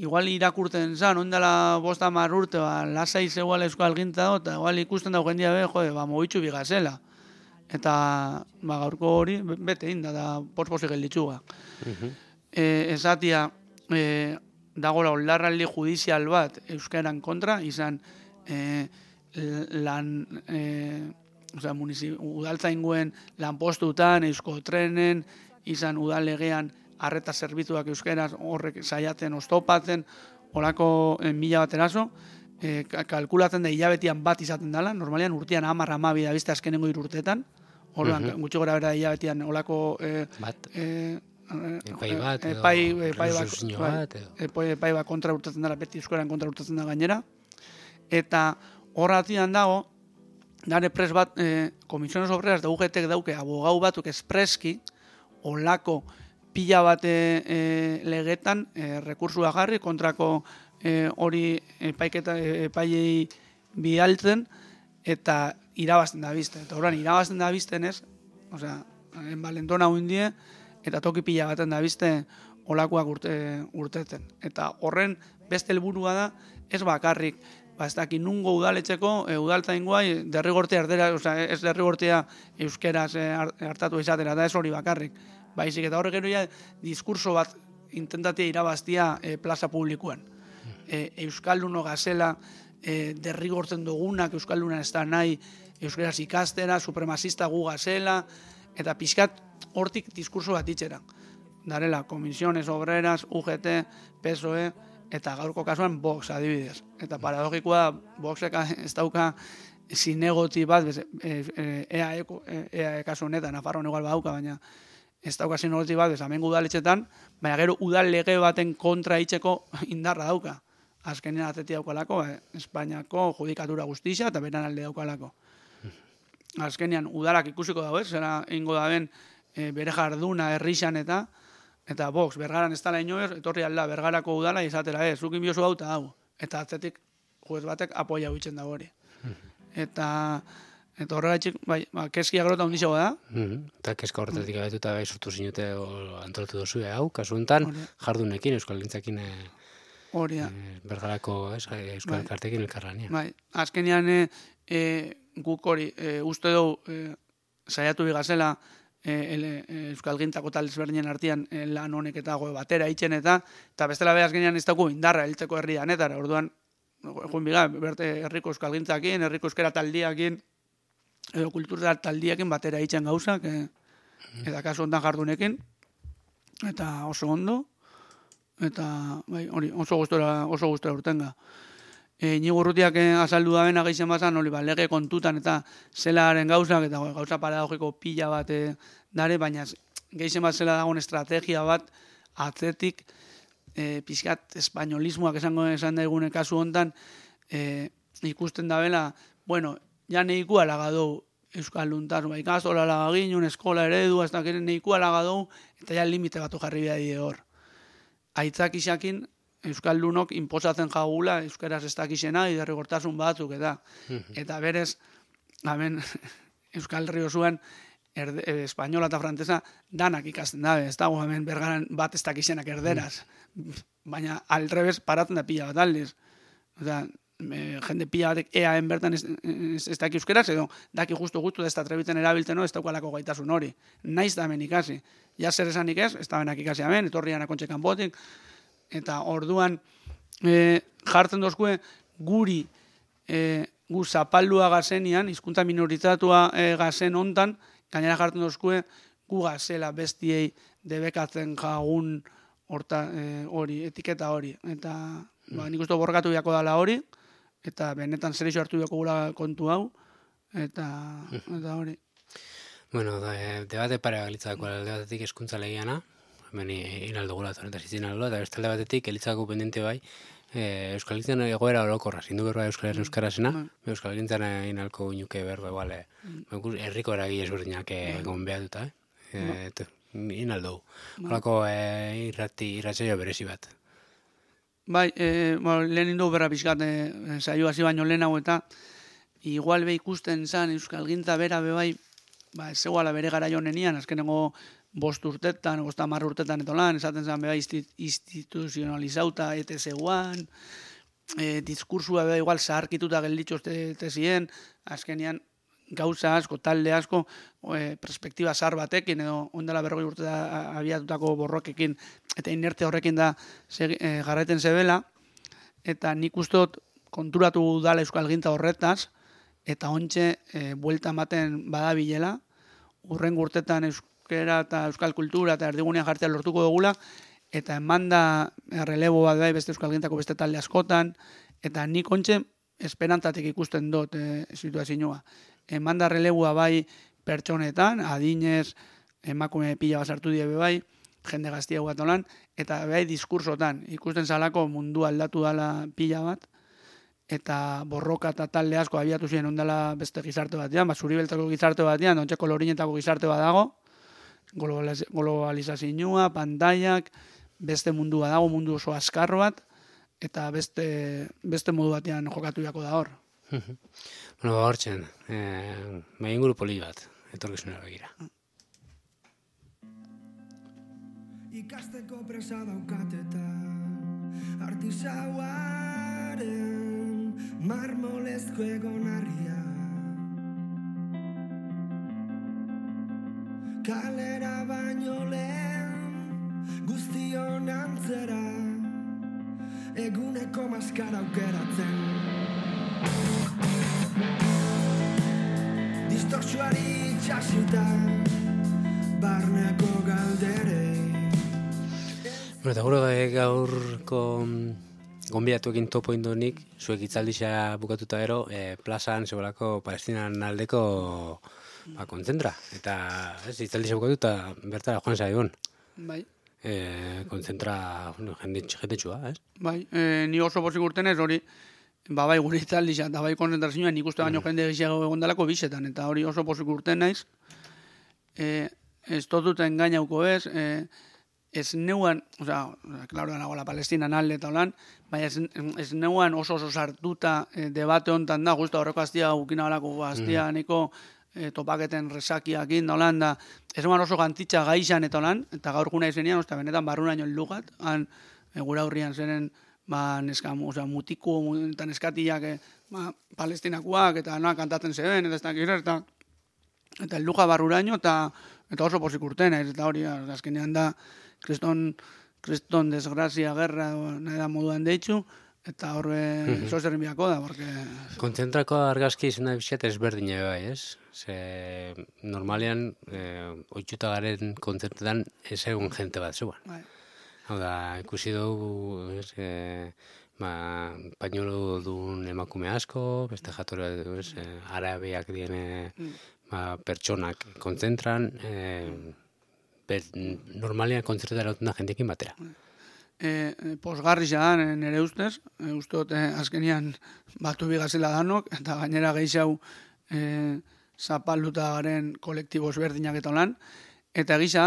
igual irakurten zan, ondala bosta mar urte, ba, lasai zegoela euskalgintza do, eta igual ikusten dago jendia behi, jode, ba, mogitxu bigazela. Eta, ba, gaurko hori, bete inda, da, pos-posik gelditzuga. Uh-huh. E, esatia, e, dagoela onlarraldi judizial bat euskaran kontra, izan e, lan... E, Osea, udaltzainguen lanpostutan, eusko trenen, izan udal legean arreta zerbituak euskeraz horrek saiatzen oztopatzen, horako eh, mila bat eraso, eh, kalkulatzen da hilabetian bat izaten dela, normalian urtean hamar hamabi da bizte azkenengo irurtetan, horrean uh-huh. gutxi gora bera hilabetian horako eh, bat, eh, epai bat, epai, epai, bat, epai, epai bat kontra urtetzen dela, beti euskaran kontra urtetzen da gainera, eta horratian dago, Dare pres bat, eh, komisiones obreras da U G T dauke abogau batuk espreski, olako pila bat eh, legetan eh, rekursua jarri, kontrako eh, hori epaiketa epailei bialtzen, eta irabazten da bizten. Eta horren, irabazten da bizten ez, osea, enbalentona huindie, eta toki pila baten da bizte olakoak urte, urteten. Eta horren beste helburua da, ez bakarrik, ba, ez daki nungo udaletxeko, e, udaltzaingoa derrigortea erdera, oza, ez derrigortea euskeraz e, hartatu izatera, da ez hori bakarrik. Baizik, eta horrek gero ja diskurso bat intentatia irabaztia e, plaza publikoan. E, Euskalduno gazela e, derrigortzen dugunak, Euskaldunan ez da nahi, euskeraz ikastera, supremazista gu gazela, eta pixkat hortik diskurso bat itxera. darela Comisiones Obreras, U G T, P S O E, eta gaurko kasuan Vox adibidez. Eta paradogikoa da, Voxek ez dauka zinegoti bat, E A E kasu honetan, Nafarroan igual badauka, baina ez dauka zinegoti bat, hemengo udaletxetan, baina gero udal lege baten kontra hitzeko indarra dauka. Azkenean atzeti daukalako, Espainiako judikatura guztia eta beran alde daukalako. Azkenean udalak ikusiko dago, ez? Zera ingo da ben bere jarduna herrixan eta eta Vox, Bergaran ez dala inoez, etorri alda Bergarako udala izatera, ez, zukin biozu hau eta hau. Eta atzetik juez batek apoia huitzen dago hori. Eta eta horregatik, bai, ba, keskia grota hundizago da. Eta keska horretatik abetuta bai sortu zinute antolatu dozu hau, kasu honetan, jardunekin, Euskal Gintzakin hori da. Bergarako Euskal Elkartekin elkarlanean. Bai, azkenean guk hori uste dugu saiatu bigazela Euskal Gintzako tal ezberdinen artean lan honek eta goe batera itzen eta eta bestela beha azkenean ez dago indarra heltzeko herri danetara, orduan joan biga, berte herriko Euskal Gintzakin, herriko euskera taldiakin edo kultura taldiakin batera itzen gauzak eta kasu hontan jardunekin eta oso ondo eta bai, hori, oso gustora oso gustora urtenga. E, Inigo Urrutiak azaldu da bena gehien bazan, hori, ba, lege kontutan eta zelaren gauzak, eta gauza paradogiko pila bat e, dare, baina gehien bat zela dagoen estrategia bat atzetik e, pixkat espainolismoak esango esan daigune kasu hontan e, ikusten da bela, bueno, ja neikua lagadou Euskal Luntasun, ba, ikastola lagaginun, eskola eredu, ez da keren neikua lagadou, eta ja limite batu jarri behar die hor. Aitzak isakin, Euskaldunok inposatzen jagula euskaraz ez dakizena iderrigortasun batzuk eta eta berez hemen Euskal Herri osoan espainola eta frantsesa danak ikasten dabe, ez dago hemen Bergaran bat ez dakizenak erderaz. Baina al revés paratzen da pila bat aldiz. Osea, jende pila batek eaen bertan ez, ez, ez daki euskaraz edo daki justu justu ez da trebitzen erabiltzen ez daukalako gaitasun hori. Naiz da hemen ikasi. Ja zer esanik ez, ez da benak ikasi hemen, etorrian akontxe kanpotik. Eta orduan e, jartzen dozkue guri e, gu zapaldua gazenian, hizkuntza minoritatua e, gazen hontan, gainera jartzen dozkue gu gazela bestiei debekatzen jagun horta, e, hori, etiketa hori. Eta ba, nik uste borrokatu biako dala hori, eta benetan zer iso hartu biako gula kontu hau, eta, eta hori. Bueno, da, debate pare galitzako alde batetik hezkuntza legiana, hemen inaldo gula eta zitzen aldo, eta bestalde batetik elitzako pendente bai, e, Euskal Gintzan egoera orokorra, zindu berba Euskal Euskarasena, mm. Euskal Gintzan inalko inuke berba igual, mm. erriko eragi ezberdinak egon behar duta, eh? mm. inaldo. Horako e, irrati, irratzaio berezi bat. Bai, e, bueno, lehen indu berra pixkat e, saio hasi baino lehen hau eta igual be ikusten zan Euskal Gintza bera be bai, ba, ez zegoala bere gara jonenian, azkenengo bost urtetan, bost hamar urtetan eto lan, esaten zen beha instituzionalizauta ete zeuan, e, diskursua beha igual zaharkituta gelditxo ete zien, azkenean gauza asko, talde asko, e, perspektiba zahar batekin, edo ondela berrogei urte abiatutako borrokekin, eta inerte horrekin da segi, e, garraiten zebela, eta nik ustot konturatu dala Euskal Gintza horretaz, eta ontxe e, buelta ematen badabilela, urren urtetan Euskal euskera eta euskal kultura eta erdigunean jartzea lortuko dugula, eta emanda relebo bat bai beste Euskal Gintzako beste talde askotan, eta nik ontxe esperantzatik ikusten dut e, situazioa. Emanda releboa bai pertsonetan, adinez, emakume pila basartu die bai, jende gaztia bat olan, eta bai diskursotan, ikusten zalako mundu aldatu dala pila bat, eta borroka eta talde asko abiatu ziren ondala beste gizarte batean, ba, zuribeltzako gizarte batean, ontxe kolorinetako gizarte bat dago, globalizazioa, pantaiak, beste mundua dago, mundu oso azkar bat, eta beste, beste modu batean jokatu jako da hor. Bueno, ba hor txen, eh, maien guru poli bat, etorkizunera begira. Ikasteko presa daukateta, artisauaren marmolezko egonarria. Kalera baino lehen guztion antzera eguneko maskara aukeratzen. Distortsuari txasita barneko galderei Bueno, eta gure gaurko gonbidatuekin topo indonik, zuek itzaldisa bukatuta gero, e, plazan zegoelako Palestinan aldeko ba, kontzentra. Eta ez, itzaldisa bukatuta bertara joan zaigun. Bai. E, kontzentra bueno, jende, jende txua, ez? Bai, e, ni oso pozik urtenez hori, ba bai gure itzaldisa eta bai konzentrazioa nik uste baino jende gehiago egondalako bisetan, eta hori oso pozik urten naiz. E, ez totuten gainauko ez, e, ez neuan, oza, klaro da nagoela Palestinan alde eta holan, baina ez, ez neuan oso oso sartuta e, debate hontan da, justa horreko aztia gukina balako aztia mm. niko e, topaketen resakiakin da holan da, ez neuan oso gantitxa gaixan eta holan, eta gaur guna izenian, osta benetan barrunaino lugat, han e, gura hurrian zenen, ba, neska, oza, mutiko eta neskatiak e, ba, palestinakoak eta noa kantatzen zeben, eta ez dakir, eta eta luga barruraino, eta, eta oso posik urtena, eta hori, azkenean da, Kriston, kriston desgrazia, gerra, nahi da moduan deitzu, eta horre mm-hmm. zo zerrin biako da, porque... Kontzentrako argazki izan da bizet ezberdine bai, ez? Ze normalean, eh, oitxuta garen kontzentretan ez egun jente bat zeuan. Bai. Hau da, ikusi dugu, ez, eh, ba, pañuelo duen emakume asko, beste jatore, ez, eh, arabiak diene mm. ba, pertsonak kontzentran, eh, ber, normalean kontzertara dutena jendekin batera. E, posgarri xadan, nire ustez, e, usteot e, azkenian batu bigazela danok, eta gainera gehiago e, zapalduta garen kolektibo ezberdinak eta lan, eta gisa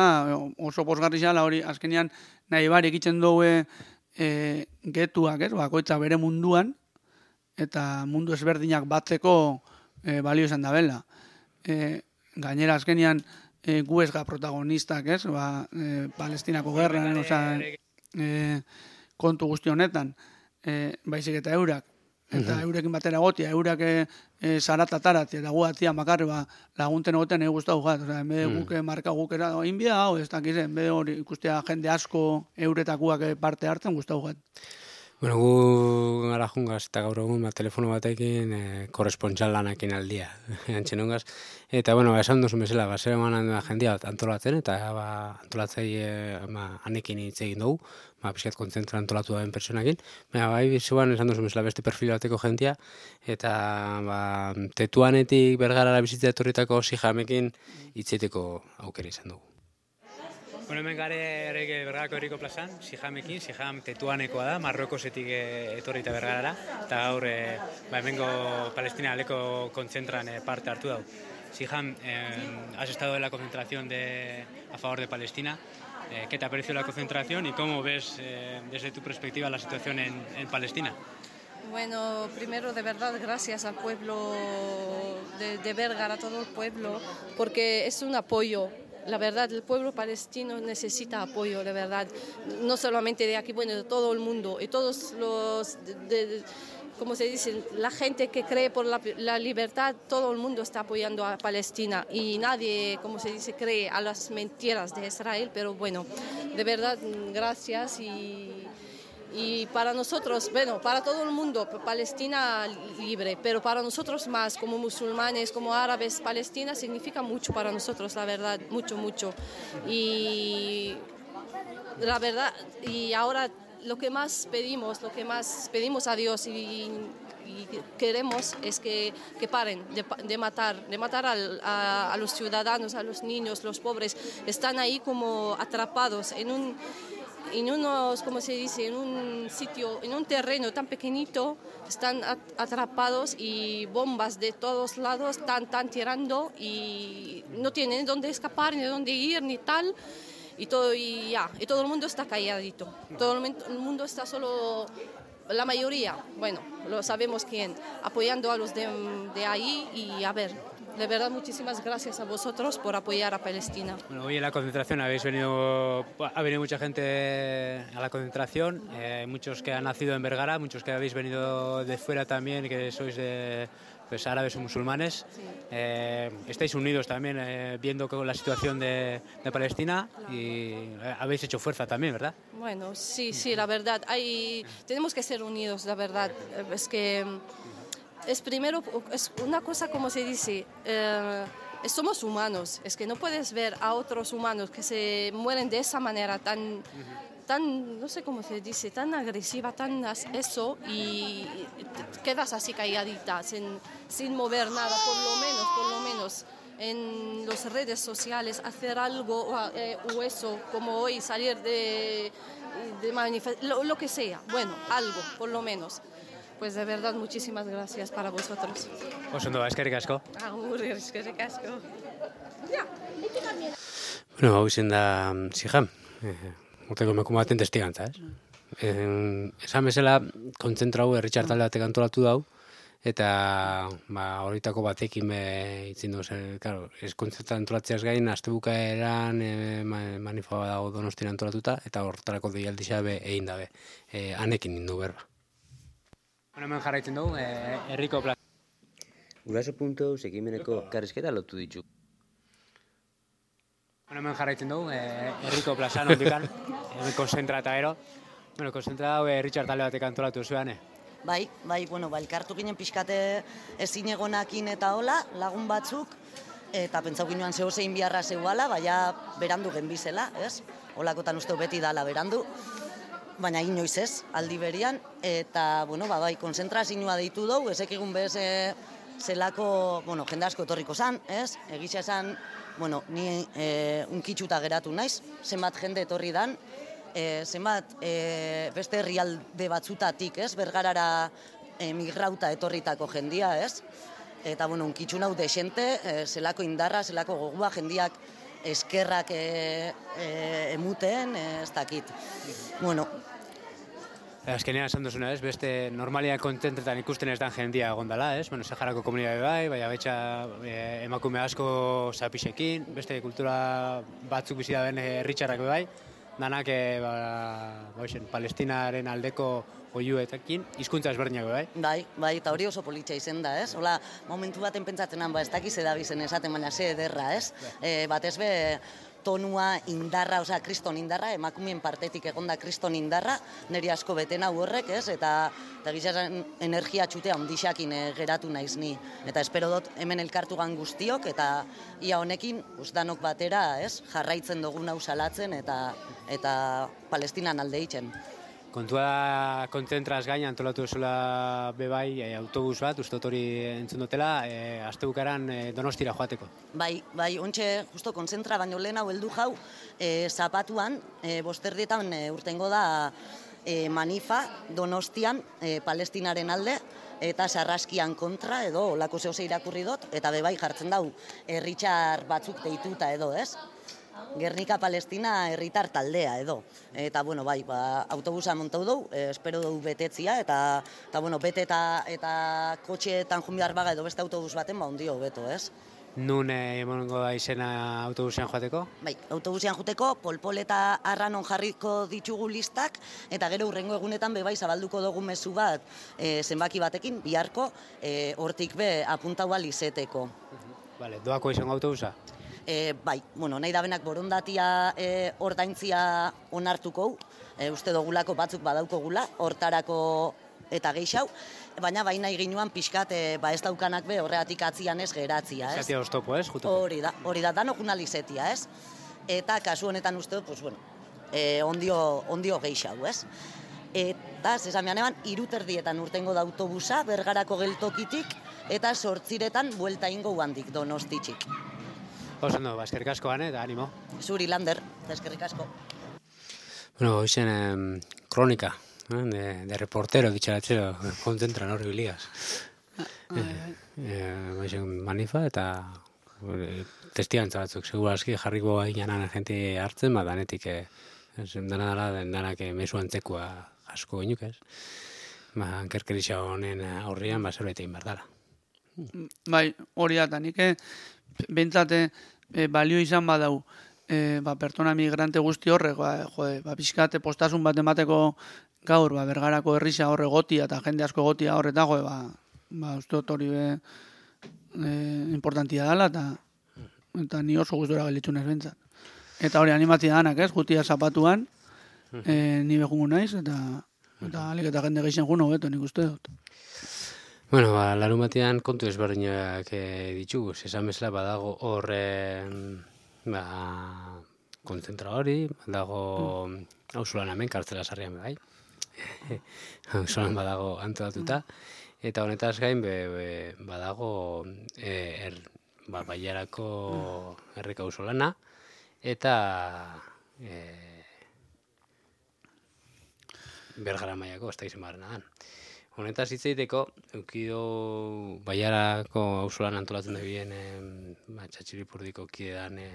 oso posgarri xala hori azkenian nahi barik itzen dugu e, getuak, ez, bakoitza bere munduan, eta mundu ezberdinak batzeko e, balio izan da bela. E, gainera azkenian E, gu ez ga protagonistak, ez? Ba, e, Palestinako gerran, oza, e, kontu guzti honetan, e, baizik eta eurak, eta uh-huh. eurekin batera gotia, eurak e, e, zaratatat, eta gu atia makarri, ba, lagunten egoten egu guztau gat, oza, enbede uh-huh. guk marka guk era, inbia hau, ez dakiz, enbede hori ikustea jende asko euretakuak parte hartzen guztau gat. Bueno, gu gara jungaz eta gaur egun ba, telefono batekin e, korrespontxal lanakin aldia, antxenungaz. Eta, bueno, ba, esan duzu bezala, ba, zer eman jendia antolatzen, eta ba, antolatzei e, ba, anekin hitz egin dugu, ba, pixkat kontzentra antolatu daben personakin. Baina, bai, zuan esan duzu bezala beste perfil bateko jendia, eta ba, Tetuanetik Bergarara bizitza etorritako Sihamekin hitzeteko aukera izan dugu. Bueno, hemen gare errege Bergarako herriko plazan, Sihamekin, Siham Tetuanekoa da, Marrokosetik etorrita Bergarara, eta gaur e, ba, hemengo Palestina aleko kontzentran e, parte hartu dau. Siham, eh, has estado en la concentración de, a favor de Palestina. Eh, ¿Qué te ha parecido la concentración y cómo ves eh, desde tu perspectiva la situación en, en Palestina? Bueno, primero de verdad gracias al pueblo de, de Bergara, a todo el pueblo, porque es un apoyo. La verdad, el pueblo palestino necesita apoyo, de verdad, no solamente de aquí, bueno, de todo el mundo, y todos los, de, de, como se dice, la gente que cree por la, la libertad, todo el mundo está apoyando a Palestina, y nadie, como se dice, cree a las mentiras de Israel, pero bueno, de verdad, gracias, y... Y para nosotros, bueno, para todo el mundo, Palestina libre, pero para nosotros más, como musulmanes, como árabes, Palestina significa mucho para nosotros, la verdad, mucho, mucho. Y la verdad, y ahora lo que más pedimos, lo que más pedimos a Dios y, y queremos es que, que paren de, de matar, de matar al, a, a los ciudadanos, a los niños, los pobres. Están ahí como atrapados en un... en unos, como se dice, en un sitio, en un terreno tan pequeñito, están atrapados y bombas de todos lados están, están tirando y no tienen dónde escapar, ni dónde ir, ni tal. Y todo, y ya, y todo el mundo está calladito. Todo el mundo está solo, la mayoría, bueno, lo sabemos quién, apoyando a los de, de ahí y a ver. De verdad, muchísimas gracias a vosotros por apoyar a Palestina. Bueno, hoy en la concentración habéis venido, ha venido mucha gente a la concentración, eh, muchos que han nacido en Bergara, muchos que habéis venido de fuera también, que sois de, pues, árabes o musulmanes. Sí. Eh, estáis unidos también eh, viendo la situación de, de Palestina, claro. Y habéis hecho fuerza también, ¿verdad? Bueno, sí, sí, la verdad. Hay, tenemos que ser unidos, la verdad. Es que... Es primero, es una cosa como se dice, eh, somos humanos, es que no puedes ver a otros humanos que se mueren de esa manera tan, tan, no sé cómo se dice, tan agresiva, tan as- eso, y te quedas así calladita, sin, sin mover nada, por lo menos, por lo menos. En las redes sociales hacer algo o, eh, o eso, como hoy salir de, de manifestar, lo, lo que sea, bueno, algo, por lo menos. Pues de verdad, muchísimas gracias para vosotros. Oso ondo, eskerrik asko. Agur, eskerrik asko. Bueno, hau izen da Siham, eh, urteko emakume baten testigantza, ez? Eh, esan bezala, kontzentrau herritxar talde batek antolatu dau, eta ba, horitako batekin be itzin duz, eh, claro, ez kontzentra antolatzeaz gain, astebukaeran eh, manifa dago Donostian antolatuta, eta hortarako deialdixa be egin dabe. Eh, anekin nindu berba. Bueno, hemen jarraitzen dugu, eh, herriko plaza. Guraso puntu ekimeneko karrizketa lotu ditu. Bueno, hemen jarraitzen dugu, eh, herriko plazan ondikan, hemen konzentra eta gero. Bueno, konzentra hau herritxar talde batek antolatu zuen, eh? Bai, bai, bueno, ba, elkartu ginen pixkate ezin egonakin eta hola, lagun batzuk, eta pentsau ginoan zeo zein biharra zeuala, baina berandu genbizela, ez? Olakotan uste beti dala berandu, baina inoiz ez, aldi berian, eta, bueno, ba, bai, konzentrazioa deitu dugu, ezek egun bez e, zelako, bueno, jende asko etorriko zan, ez? Egitza esan, bueno, ni e, unkitxuta geratu naiz, zenbat jende etorri dan, E, zenbat e, beste herrialde batzutatik, ez, Bergarara emigrauta etorritako jendia, ez, eta, bueno, unkitxu nau desente, e, zelako indarra, zelako gogua, jendiak eskerrak e, e, emuten, e, ez dakit. Bueno, Azkenean esan duzuna, ez, beste normalia kontentretan ikusten ez dan jendia egondala, ez? Bueno, Saharako komunidade bai, baina betxa eh, emakume asko zapixekin, beste kultura batzuk bizi daben herritxarrak bai, danak e, ba, ba, Palestinaren aldeko oiuetekin, hizkuntza ezberdinak bai. bai, bai, eta hori oso politxa izen da, ez? Hola, momentu baten pentsatzen ba, ez dakiz edabizen esaten, baina ze ederra, ez? E, batez be, tonua indarra, osea, kriston indarra, emakumeen partetik egonda kriston indarra, niri asko beten hau horrek, ez? Eta, eta gizaren energia txutea ondixakin e, geratu naiz ni. Eta espero dut hemen elkartu gan guztiok, eta ia honekin, usdanok batera, ez? Jarraitzen dugun hau salatzen, eta, eta Palestinan alde itzen. Kontua da, kontzentraz gain antolatu duzula bebai e, autobus bat, uste dut hori entzun dutela, e, astebukaran e, Donostira joateko. Bai, bai, ontxe, justo konzentra baino lehen hau heldu jau, e, zapatuan, e, bosterdietan e, urtengo da e, manifa Donostian e, Palestinaren alde, eta sarraskian kontra edo olako zehose irakurri dut, eta bebai jartzen dau herritxar batzuk deituta edo, ez? Gernika Palestina herritar taldea edo. Eta, bueno, bai, ba, autobusa montau dugu, eh, espero dugu betetzia, eta, eta bueno, bete eta, eta kotxeetan jumbiar baga edo beste autobus baten, ba, ondio beto, ez? Nun eh, emongo da izena autobusean joateko? Bai, autobusean juteko, polpol eta arranon jarriko ditugu listak, eta gero hurrengo egunetan be bai zabalduko dugu mezu bat eh, zenbaki batekin, biharko, eh, hortik be apuntau alizeteko. Vale, doako izango autobusa? E, bai, bueno, nahi da benak borondatia e, ordaintzia onartuko, e, uste dugulako batzuk badaukogula, hortarako eta geixau, baina bai nahi ginuan pixkat e, ba ez daukanak be horreatik atzian ez geratzia, ez? Zatia oztopo, ez? Juteko. Hori da, hori da, danok unalizetia, ez? Eta kasu honetan uste dut, pues, bueno, e, ondio, ondio geixau, ez? Eta, zesamean eban, iruterdietan urtengo da autobusa, Bergarako geltokitik, eta sortziretan buelta ingo handik Donostitxik. Oso ondo, ba, eskerrik asko gane, da animo. Zuri, Lander, eskerrik asko. Bueno, hoxen eh, kronika, eh, de, de reportero, ditxaratzero, kontentran horri biliaz. Eh, eh, manifa eta eh, testigantza batzuk, segurazki jarriko gainanan gente hartzen, ba, danetik, eh, dana dala, danak eh, mesu antzekua asko goinuk, ez? Ba, ankerkerisa honen aurrian, ba, zerbait egin behar dala. Bai, hori da, nik bentsate e, balio izan badau, e, ba, pertsona migrante guzti horrek, ba, jode, ba, pixkate postasun bat emateko gaur, ba, Bergarako herrisa horre gotia eta jende asko gotia horreta, jode, ba, ba, uste dut hori be, e, importantia dela, eta, eta ni oso gustora gelitzunez bentsat. Eta hori animatzia danak, ez, gutia zapatuan, e, ni behungu naiz, eta, eta alik eta jende geixen juno beto, nik uste dut. Bueno, ba, larun batean kontu ezberdinak e, ditugu, esan bezala badago hor e, ba, kontzentra hori, dago auzolan hemen, kartzela sarrian bai. Auzolan badago antolatuta. Eta honetaz gain, be, be, badago e, er, ba, Bailarako herriko auzolana, eta e, Bergara mailako, ez da izen barrena dan. Honetaz hitz egiteko, eukido Bailarako auzolan antolatzen da bien e, ba, Txatxilipurdiko kidean e,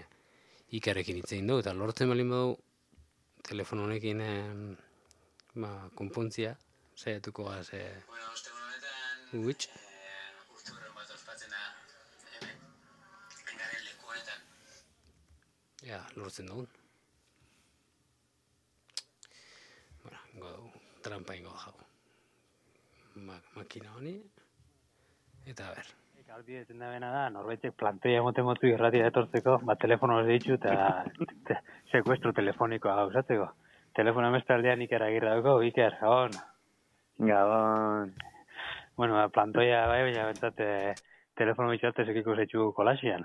Ikerrekin hitz egin du, eta lortzen balin badu telefono honekin e, ba, konpontzia, saiatuko gaz e, bueno, ostegun honetan Uitz. eh, urturren bat ospatzen da hemen, engaren leku honetan. Ja, lortzen dugun. Bueno, ingo dugu, trampa ingo jau. Ma, makina honi, eta ber. Gaudi eten da bena da, norbaitek plantoia moten motu irratia etortzeko, bat telefono hori ditzu eta te, sekuestro telefonikoa gauzatzeko. Telefono emestaldean Iker Agirre dauko, Iker, gabon. Gabon. Bueno, ba, plantoia bai, baina bentsat eh, telefono bitxartez ekiko zetxu kolasian.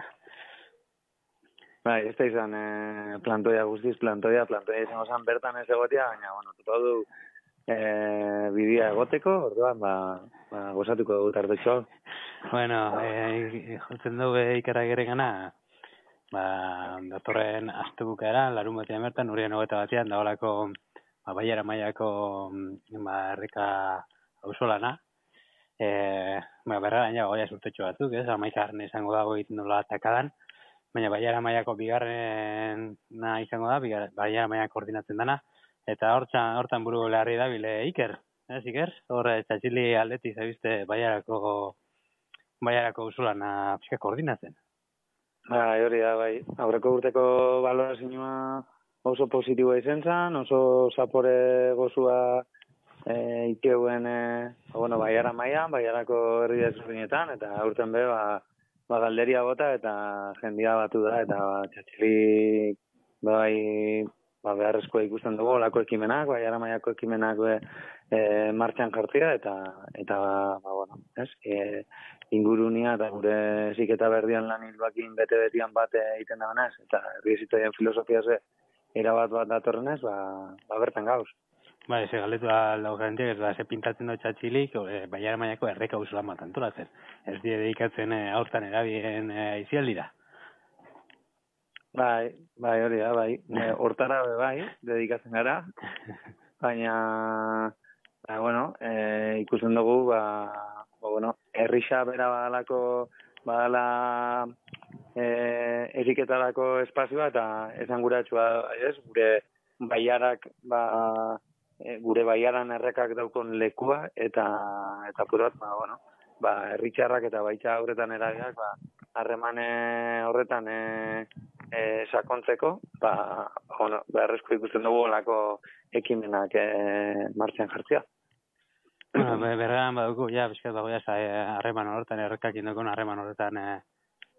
Bai, ez da izan eh, plantoia guztiz, plantoia, plantoia izango zan bertan ez egotia, baina, bueno, tutu du eh, bidea egoteko, orduan, ba, ba gozatuko dugu tartetxo. Bueno, eh, jotzen dugu Iker Agirre gana, ba, datorren astebukaera, larun batean bertan, urrian hogeta batean, dagoelako ba, Bailara mailako ba, herrika auzolana. Eh, ba, berraren ja, goia surtetxo batzuk, ez? Amaikagarren izango dago egiten dola atakadan, baina Bailara mailako bigarren na izango da, bigar, Bailara mailak koordinatzen dana, eta hortan, hortan buru leharri da bile Iker, ez Iker? Hor, Txatxili aldeti zabizte Bailarako Bailarako auzolana pixka koordinatzen. Bai, hori da, bai. Aurreko urteko balorazioa oso positiboa izan zen, oso zapore gozua e, ikeuen, e, bueno, Bailara mailan, Bailarako herri desberdinetan, eta aurten be, ba, ba galderia bota eta jendia batu da, eta ba, Txatxili bai, ba, beharrezkoa ikusten dugu, olako ekimenak, Bailara mailako ekimenak be, e, martxan jartzea, eta, eta ba, ba, bueno, ez, e, ingurunia eta gure ziketa berdian lan hilbakin bete-betian bat egiten da banaz, eta herri ezitoien filosofia ze erabat bat datorrenez, ba, ba bertan gauz. Bai, ze galdetu da laugantiak, ez da, ze pintatzen dut Txatxilik, e, Bailara mailako erreka auzolan bat antolatzen. Ez die dedikatzen e, aurtan erabien e, aizialdira. Bai, bai, hori da, bai. E, hortara be bai, dedikatzen gara, baina, ba, bueno, e, ikusten dugu, ba, ba, bueno, herrixa bera badalako, badala e, eriketarako espazioa eta esanguratsua, ez, gure Bailarak, ba, e, gure Bailaran errekak daukon lekua, eta, eta purat, ba, bueno, ba, herritxarrak eta baita horretan eragiak, ba, harremane horretan e, e, sakontzeko, ba, bueno, beharrezko ikusten dugu olako ekimenak e, martxan jartzea. Bueno, berrean badugu, ja, bizkat dago ja, harreman horretan, errekak indokon harreman horretan e,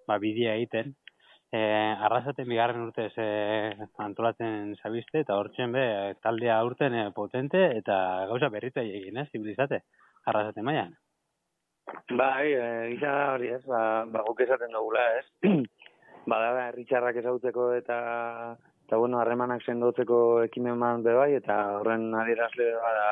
ba, bidea egiten. E, arrasaten bigarren urtez e, antolatzen zabizte, eta hortzen be, taldea urten e, potente, eta gauza berrita egin, ez, zibilizate, arrasaten mailan. Bai, e, gisa hori ez, ba, ba guk esaten dugula, ez. Bada, herritxarrak ezagutzeko eta, eta bueno, harremanak sendotzeko ekimen man be bai, eta horren adierazle bada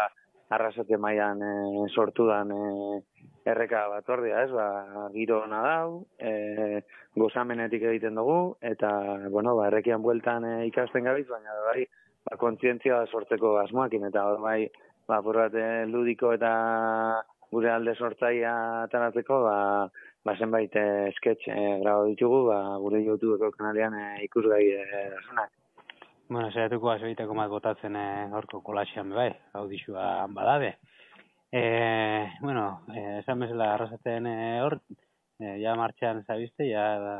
arrasate mailan e, sortu dan e, erreka bat ordea, ez, ba, giro hona dau, e, gozamenetik egiten dugu, eta, bueno, ba, errekian bueltan e, ikasten gabiz, baina, bai, ba, kontzientzia sortzeko asmoakin, eta, hor, bai, ba, porrat, e, ludiko eta gure alde sortzaia ataratzeko, ba, ba, zenbait e, sketch e, grabo ditugu, ba, gure YouTubeko kanalean e, ikusgai e, dasunak. Bueno, zeratuko azoiteko mat botatzen e, horko kolasian bai, audizua badabe. E, bueno, e, esan bezala arrasatzen e, hor, e, ja martxan zabizte, ja da,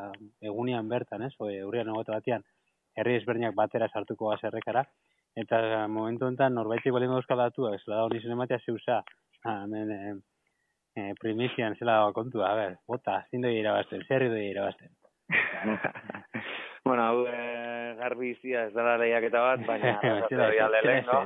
egunian bertan, ez, o, urrian egote batean, herri ezberdinak batera sartuko gazerrekara, eta momentu enten norbaitik balin euskal datuak, zela da hori zen ematea zeusa, hemen e, e, primizian zela kontua, a ber, bota, zin doi irabazten, zerri doi irabazten. Bueno, hau e, garbi izia ez dara lehiaketa bat, baina arrasate doia lehengo.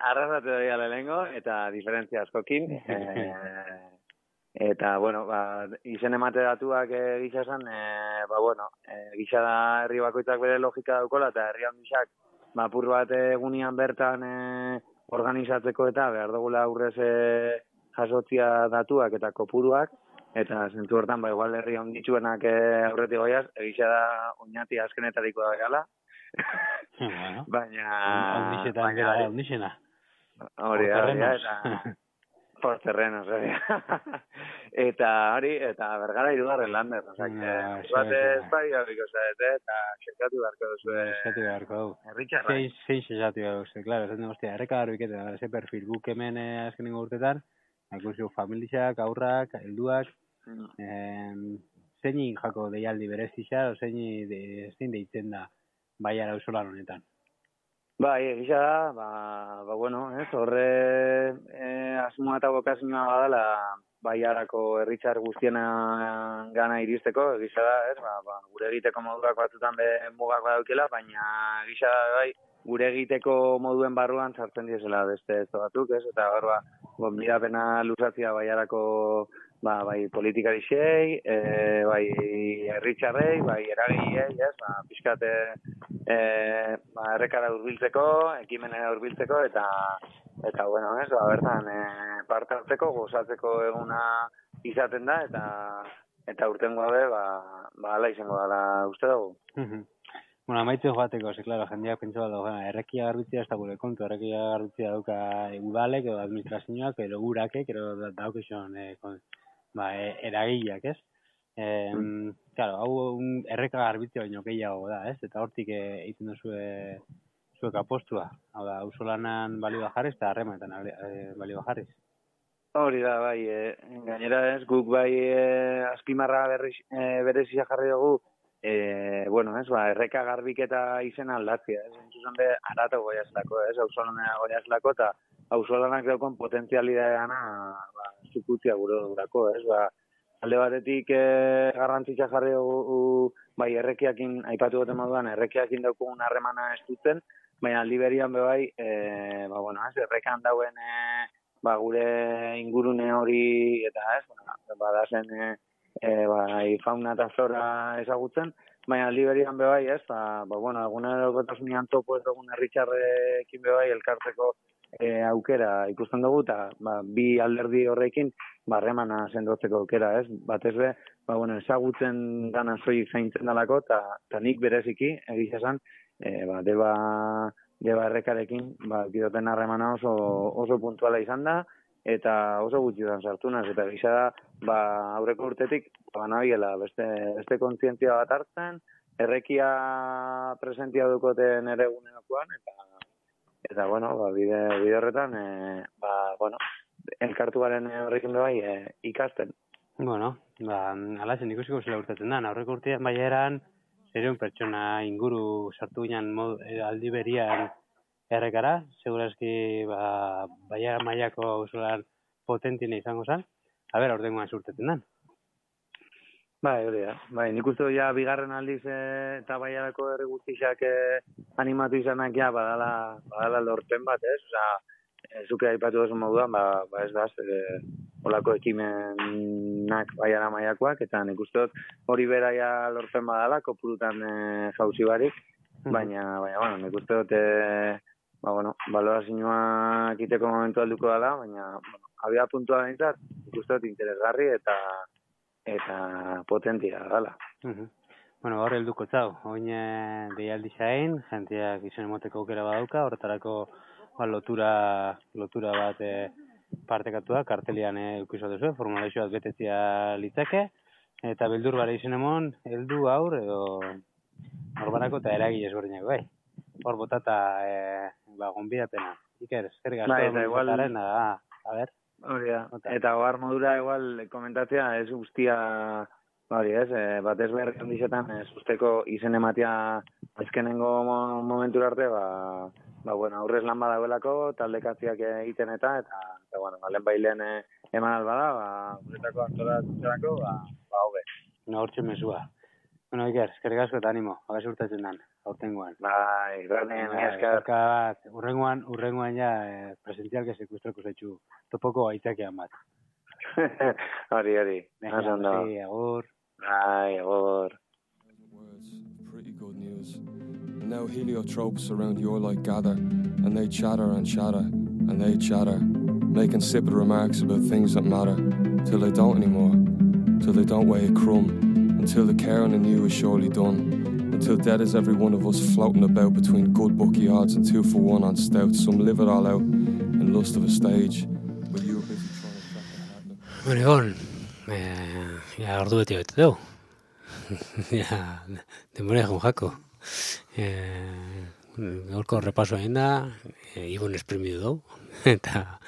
Arrasate doia lehengo, eta diferentzia askokin. E, Eta, bueno, ba, izen emate datuak e, gisa esan, e, ba, bueno, e, gisa da herri bakoitzak bere logika daukola, eta herri handixak, ba, apur bat egunean bertan e, organizatzeko eta behar dugula aurrez e, jasotzia datuak eta kopuruak, eta zentzu hortan, ba, igual herri handitsuenak e, aurretik goiaz, egisa da oinati azkenetariko da gala. Bueno, baina... Ondixetan gara, ondixena. Hori da, hori da, eta... Por terrenos, hori. Eta hori, eta bergara irugarren lander. Osa, bat ez bai, abiko zaete, eta xerkatu beharko duzu. Xerkatu beharko du. Erritxarra. Zein xerkatu beharko duzu, klaro, ez hostia, erreka garbiketa, ze perfil, guk hemen azkenengo urtetan, ikusio familiak, aurrak, helduak, zein jako deialdi berezisa, o zein deitzen da baiara auzolan honetan. Bai, egisa da, ba, ba, bueno, ez, horre e, asmoa eta bokazioa badala baiarako herritzar guztiena gana iristeko, egisa da, ez, ba, ba, gure egiteko moduak batzutan be mugak badaukela, baina egisa da, bai, gure egiteko moduen barruan sartzen diezela beste ez batzuk, ez, eta hor, ba, gonbidapena luzatzia baiarako, ba, bai, politikari xei, e, bai, herritzarrei, bai, eragilei, ez, ba, pixkate, e, ba, errekara urbiltzeko, ekimenera urbiltzeko, eta, eta, bueno, ez, ba, bertan, e, parte hartzeko, gozatzeko eguna izaten da, eta, eta urtengoa be, ba, ba, ala izango dala uste dugu. Bueno, amaitze joateko, ze, klaro, jendeak pentsa bat dago, errekia garbitzia ez da gure kontu, errekia garbitzia dauka udalek, edo administrazioak, edo gurakek, edo daukizun, e, ba, e, eragileak, ez? E, mm. Claro, hau un erreka garbitzia baino gehiago da, ez? Eta hortik egiten duzu zuek apostua. Hau da, auzolanan balio jarriz eta harremanetan e, balio jarriz. Hori da, bai, e, gainera ez, guk bai e, azpimarra e, berezia jarri dugu, e, bueno, ez, ba, erreka garbiketa izena aldatzia, ez? Entzuzan be, arato goiazlako, ez? Auzolanea goiazlako, eta auzolanak daukon potentzialidadeana, ba, zukutzia gure durako, ez? Ba, alde batetik e, garrantzitza jarri dugu, bai, errekiakin, aipatu gote moduan, errekiakin daukugun harremana estutzen, baina aldi berian be bai, e, ba, bueno, ez, errekan dauen, e, ba, gure ingurune hori, eta ez, ba, badazen, e, e, bai, fauna eta flora ezagutzen, baina aldi berian be bai, ez, ba, ba bueno, egunerokotasunean topo ez dugun herritxarrekin be bai, elkartzeko e, aukera ikusten dugu, eta ba, bi alderdi horrekin, barremana sendotzeko aukera, ez? Batez be, ba, bueno, ezagutzen dana soilik zaintzen dalako, eta nik bereziki, egiz esan, e, ba, deba, deba errekarekin, ba, gidoten harremana oso, oso puntuala izan da, eta oso gutxi sartu naz, eta gisa da, ba, aurreko urtetik, ba, nabiela, beste, beste kontzientzia bat hartzen, errekia presentia dukoten ere gunenakoan, eta, eta, bueno, ba, bide, bide horretan, e, ba, bueno, elkartu garen horrekin bai e, ikasten. Bueno, ba, alazen ikusiko zela urtatzen da, aurreko urtean bai eran, zereun pertsona inguru sartu ginen aldi berian errekara, segurazki ba, baia mailako auzolan potentine izango zen, a ber, aurtengoan zurtetzen den. Bai, hori da. Bai, nik uste ja bigarren aldiz e, eta baiarako herri guztixak e, animatu izanak ja badala, badala lorpen bat, ez? Osa, zuke aipatu duzu moduan, ba, ba ez da, e, olako ekimenak baiara maiakoak, eta nik uste dut hori beraia lortzen badala, kopurutan e, jauzi barik, baina, baina, bueno, nik uste dut, e, ba, bueno, balorazioak iteko momentu alduko dela, baina, bueno, abia puntua behintzat, nik uste dut interesgarri eta eta potentia dela. Uh-huh. Bueno, gaur helduko txau, oin deialdi zain, jenteak izan emoteko aukera badauka, horretarako ba, lotura, lotura bat e, partekatu da, kartelian eukizu duzu, formulazio bat betetzia litzake, eta bildur bara izan emon, heldu aur, edo norbarako eta eragile ezberdinak, bai. Hor botata, e, ba, gonbidapena. Iker, zer gazto, bai, igual... a, a ber. Hori da, eta gogar modura igual komentatzea, ez guztia, hori ez, e, batez behar handizetan, ez usteko izen ematea ezkenengo momentura arte, ba, ba, bueno, aurrez lan badagoelako, taldekatziak egiten eta, eta, eta bueno, alen bailen e, eman albada, ba, guretako antolatzerako, ba, ba, hobe. No, hortxe mesua. Bueno, Iker, eskerrik asko eta animo, abez urtatzen den, aurtengoan. Bai, granen, esker. Urrengoan, urrengoan ja, eh, presentzialke sekustrako zaitxu, topoko aitzakean bat. Hori, hori. Venga, Oso ondo. sí, agur. Bai, agur. Pretty good news. And now heliotropes around your light gather, and they chatter and chatter, and they chatter, making insipid remarks about things that matter, till they don't anymore, till they don't weigh a crumb, until the caring in you is surely done, until dead is every one of us floating about between good bookie odds and two for one on stout. Some live it all out in lust of a stage, but you were busy trying to track the heart. Bueno, Egon, eh, ja ordu beti bete dugu. Ja, denbora egun jako. Eh, gaurko repaso egin da, eh, Ibon esprimidu dugu, eta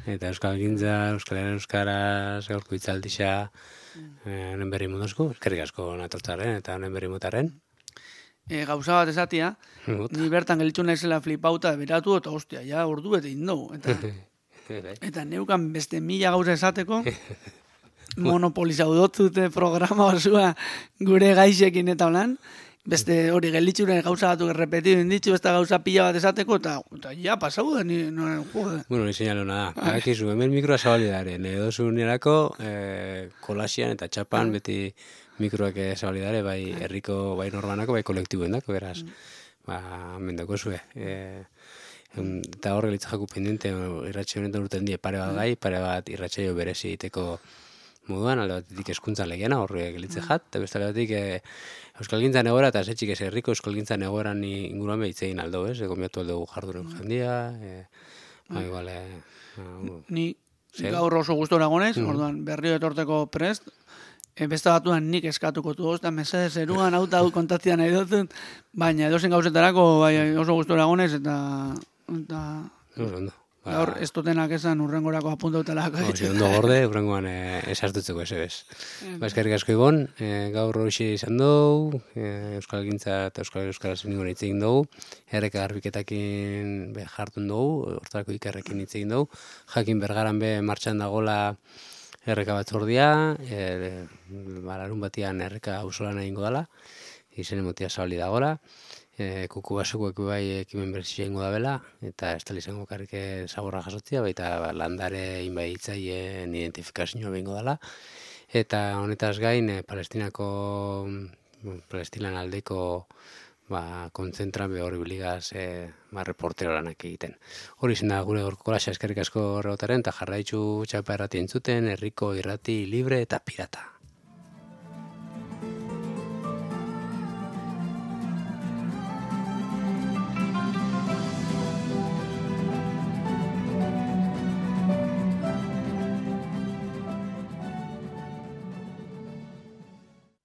eta Euskal Gintza, Euskal Herri Euskaraz, gaurko itzaldixa, eh, honen berri mundozko, eskerrik asko natortzaren, eta honen berri motaren. E, gauza bat esatia, ni bertan gelitzu naizela flipauta beratu, eta ostia, ja ordu bete indogu. Eta, eta neukan beste mila gauza esateko, monopolizau dotzute programa osua gure gaixekin eta holan, beste hori gelitxure gauza batuk errepetidu inditzu, beste gauza pila bat esateko, eta, eta ja, pasau da, ni, no, jode. Bueno, ni seinaluna da. Badakizu, hemen mikroa zabalidaren, edo zunerako eh, kolasian eta txapan beti mikroak zabalidare, bai herriko, bai norbanako, bai kolektibuen dako, beraz. Ba, mendoko zue. E, eta horre litza jaku pendiente, irratxe honetan urten die pare bat gai, pare bat irratxeio berezi egiteko moduan, alde batetik eskuntza legiana, horre gelitze jat, eta beste alde batetik e, Euskal Gintzan egoera, eta zetxik ez herriko Euskal Gintzan egoeran inguruan behitzein aldo, ez? Egomiatu aldo jarduren jendia, e, ba, igual, e, ni gaur oso gustora gonez, orduan berrio etorteko prest, e, beste batuan nik eskatuko du, ozta, mesedez eruan, auta hau kontaktia nahi dut, baina edozen gauzetarako bai, oso gustora gonez, eta... eta... Oso, gaur ez dutenak esan urrengorako apuntautelako. Oso, ondo gorde, urrengoan e, esartutzeko ez ebez. Ba, eskerrik asko Ibon, e, gaur hori izan dugu, e, Euskal Gintza eta Euskal Euskaraz ningun hitz egin dugu, erreka garbiketakin be jartun dugu, hortarako ikerrekin hitz egin dugu, jakin bergaran be martxan dagola erreka batzordia, e, balarun batian erreka auzolan egingo dela, izen emotia zabali dagola, E, kuku basukoek bai ekimen berezia ingo da bela, eta ez tali izango karrike zaborra jasotzia, baita ba, landare inbai hitzaien identifikazioa behingo dela. Eta honetaz gain, e, Palestinako, Palestinan aldeko ba, kontzentran be hori biligaz e, ba, reportero lanak egiten. Hori izan da gure gorko kolasa eskerrik asko horregotaren, eta jarraitzu txapa errati entzuten, herriko irrati libre eta pirata.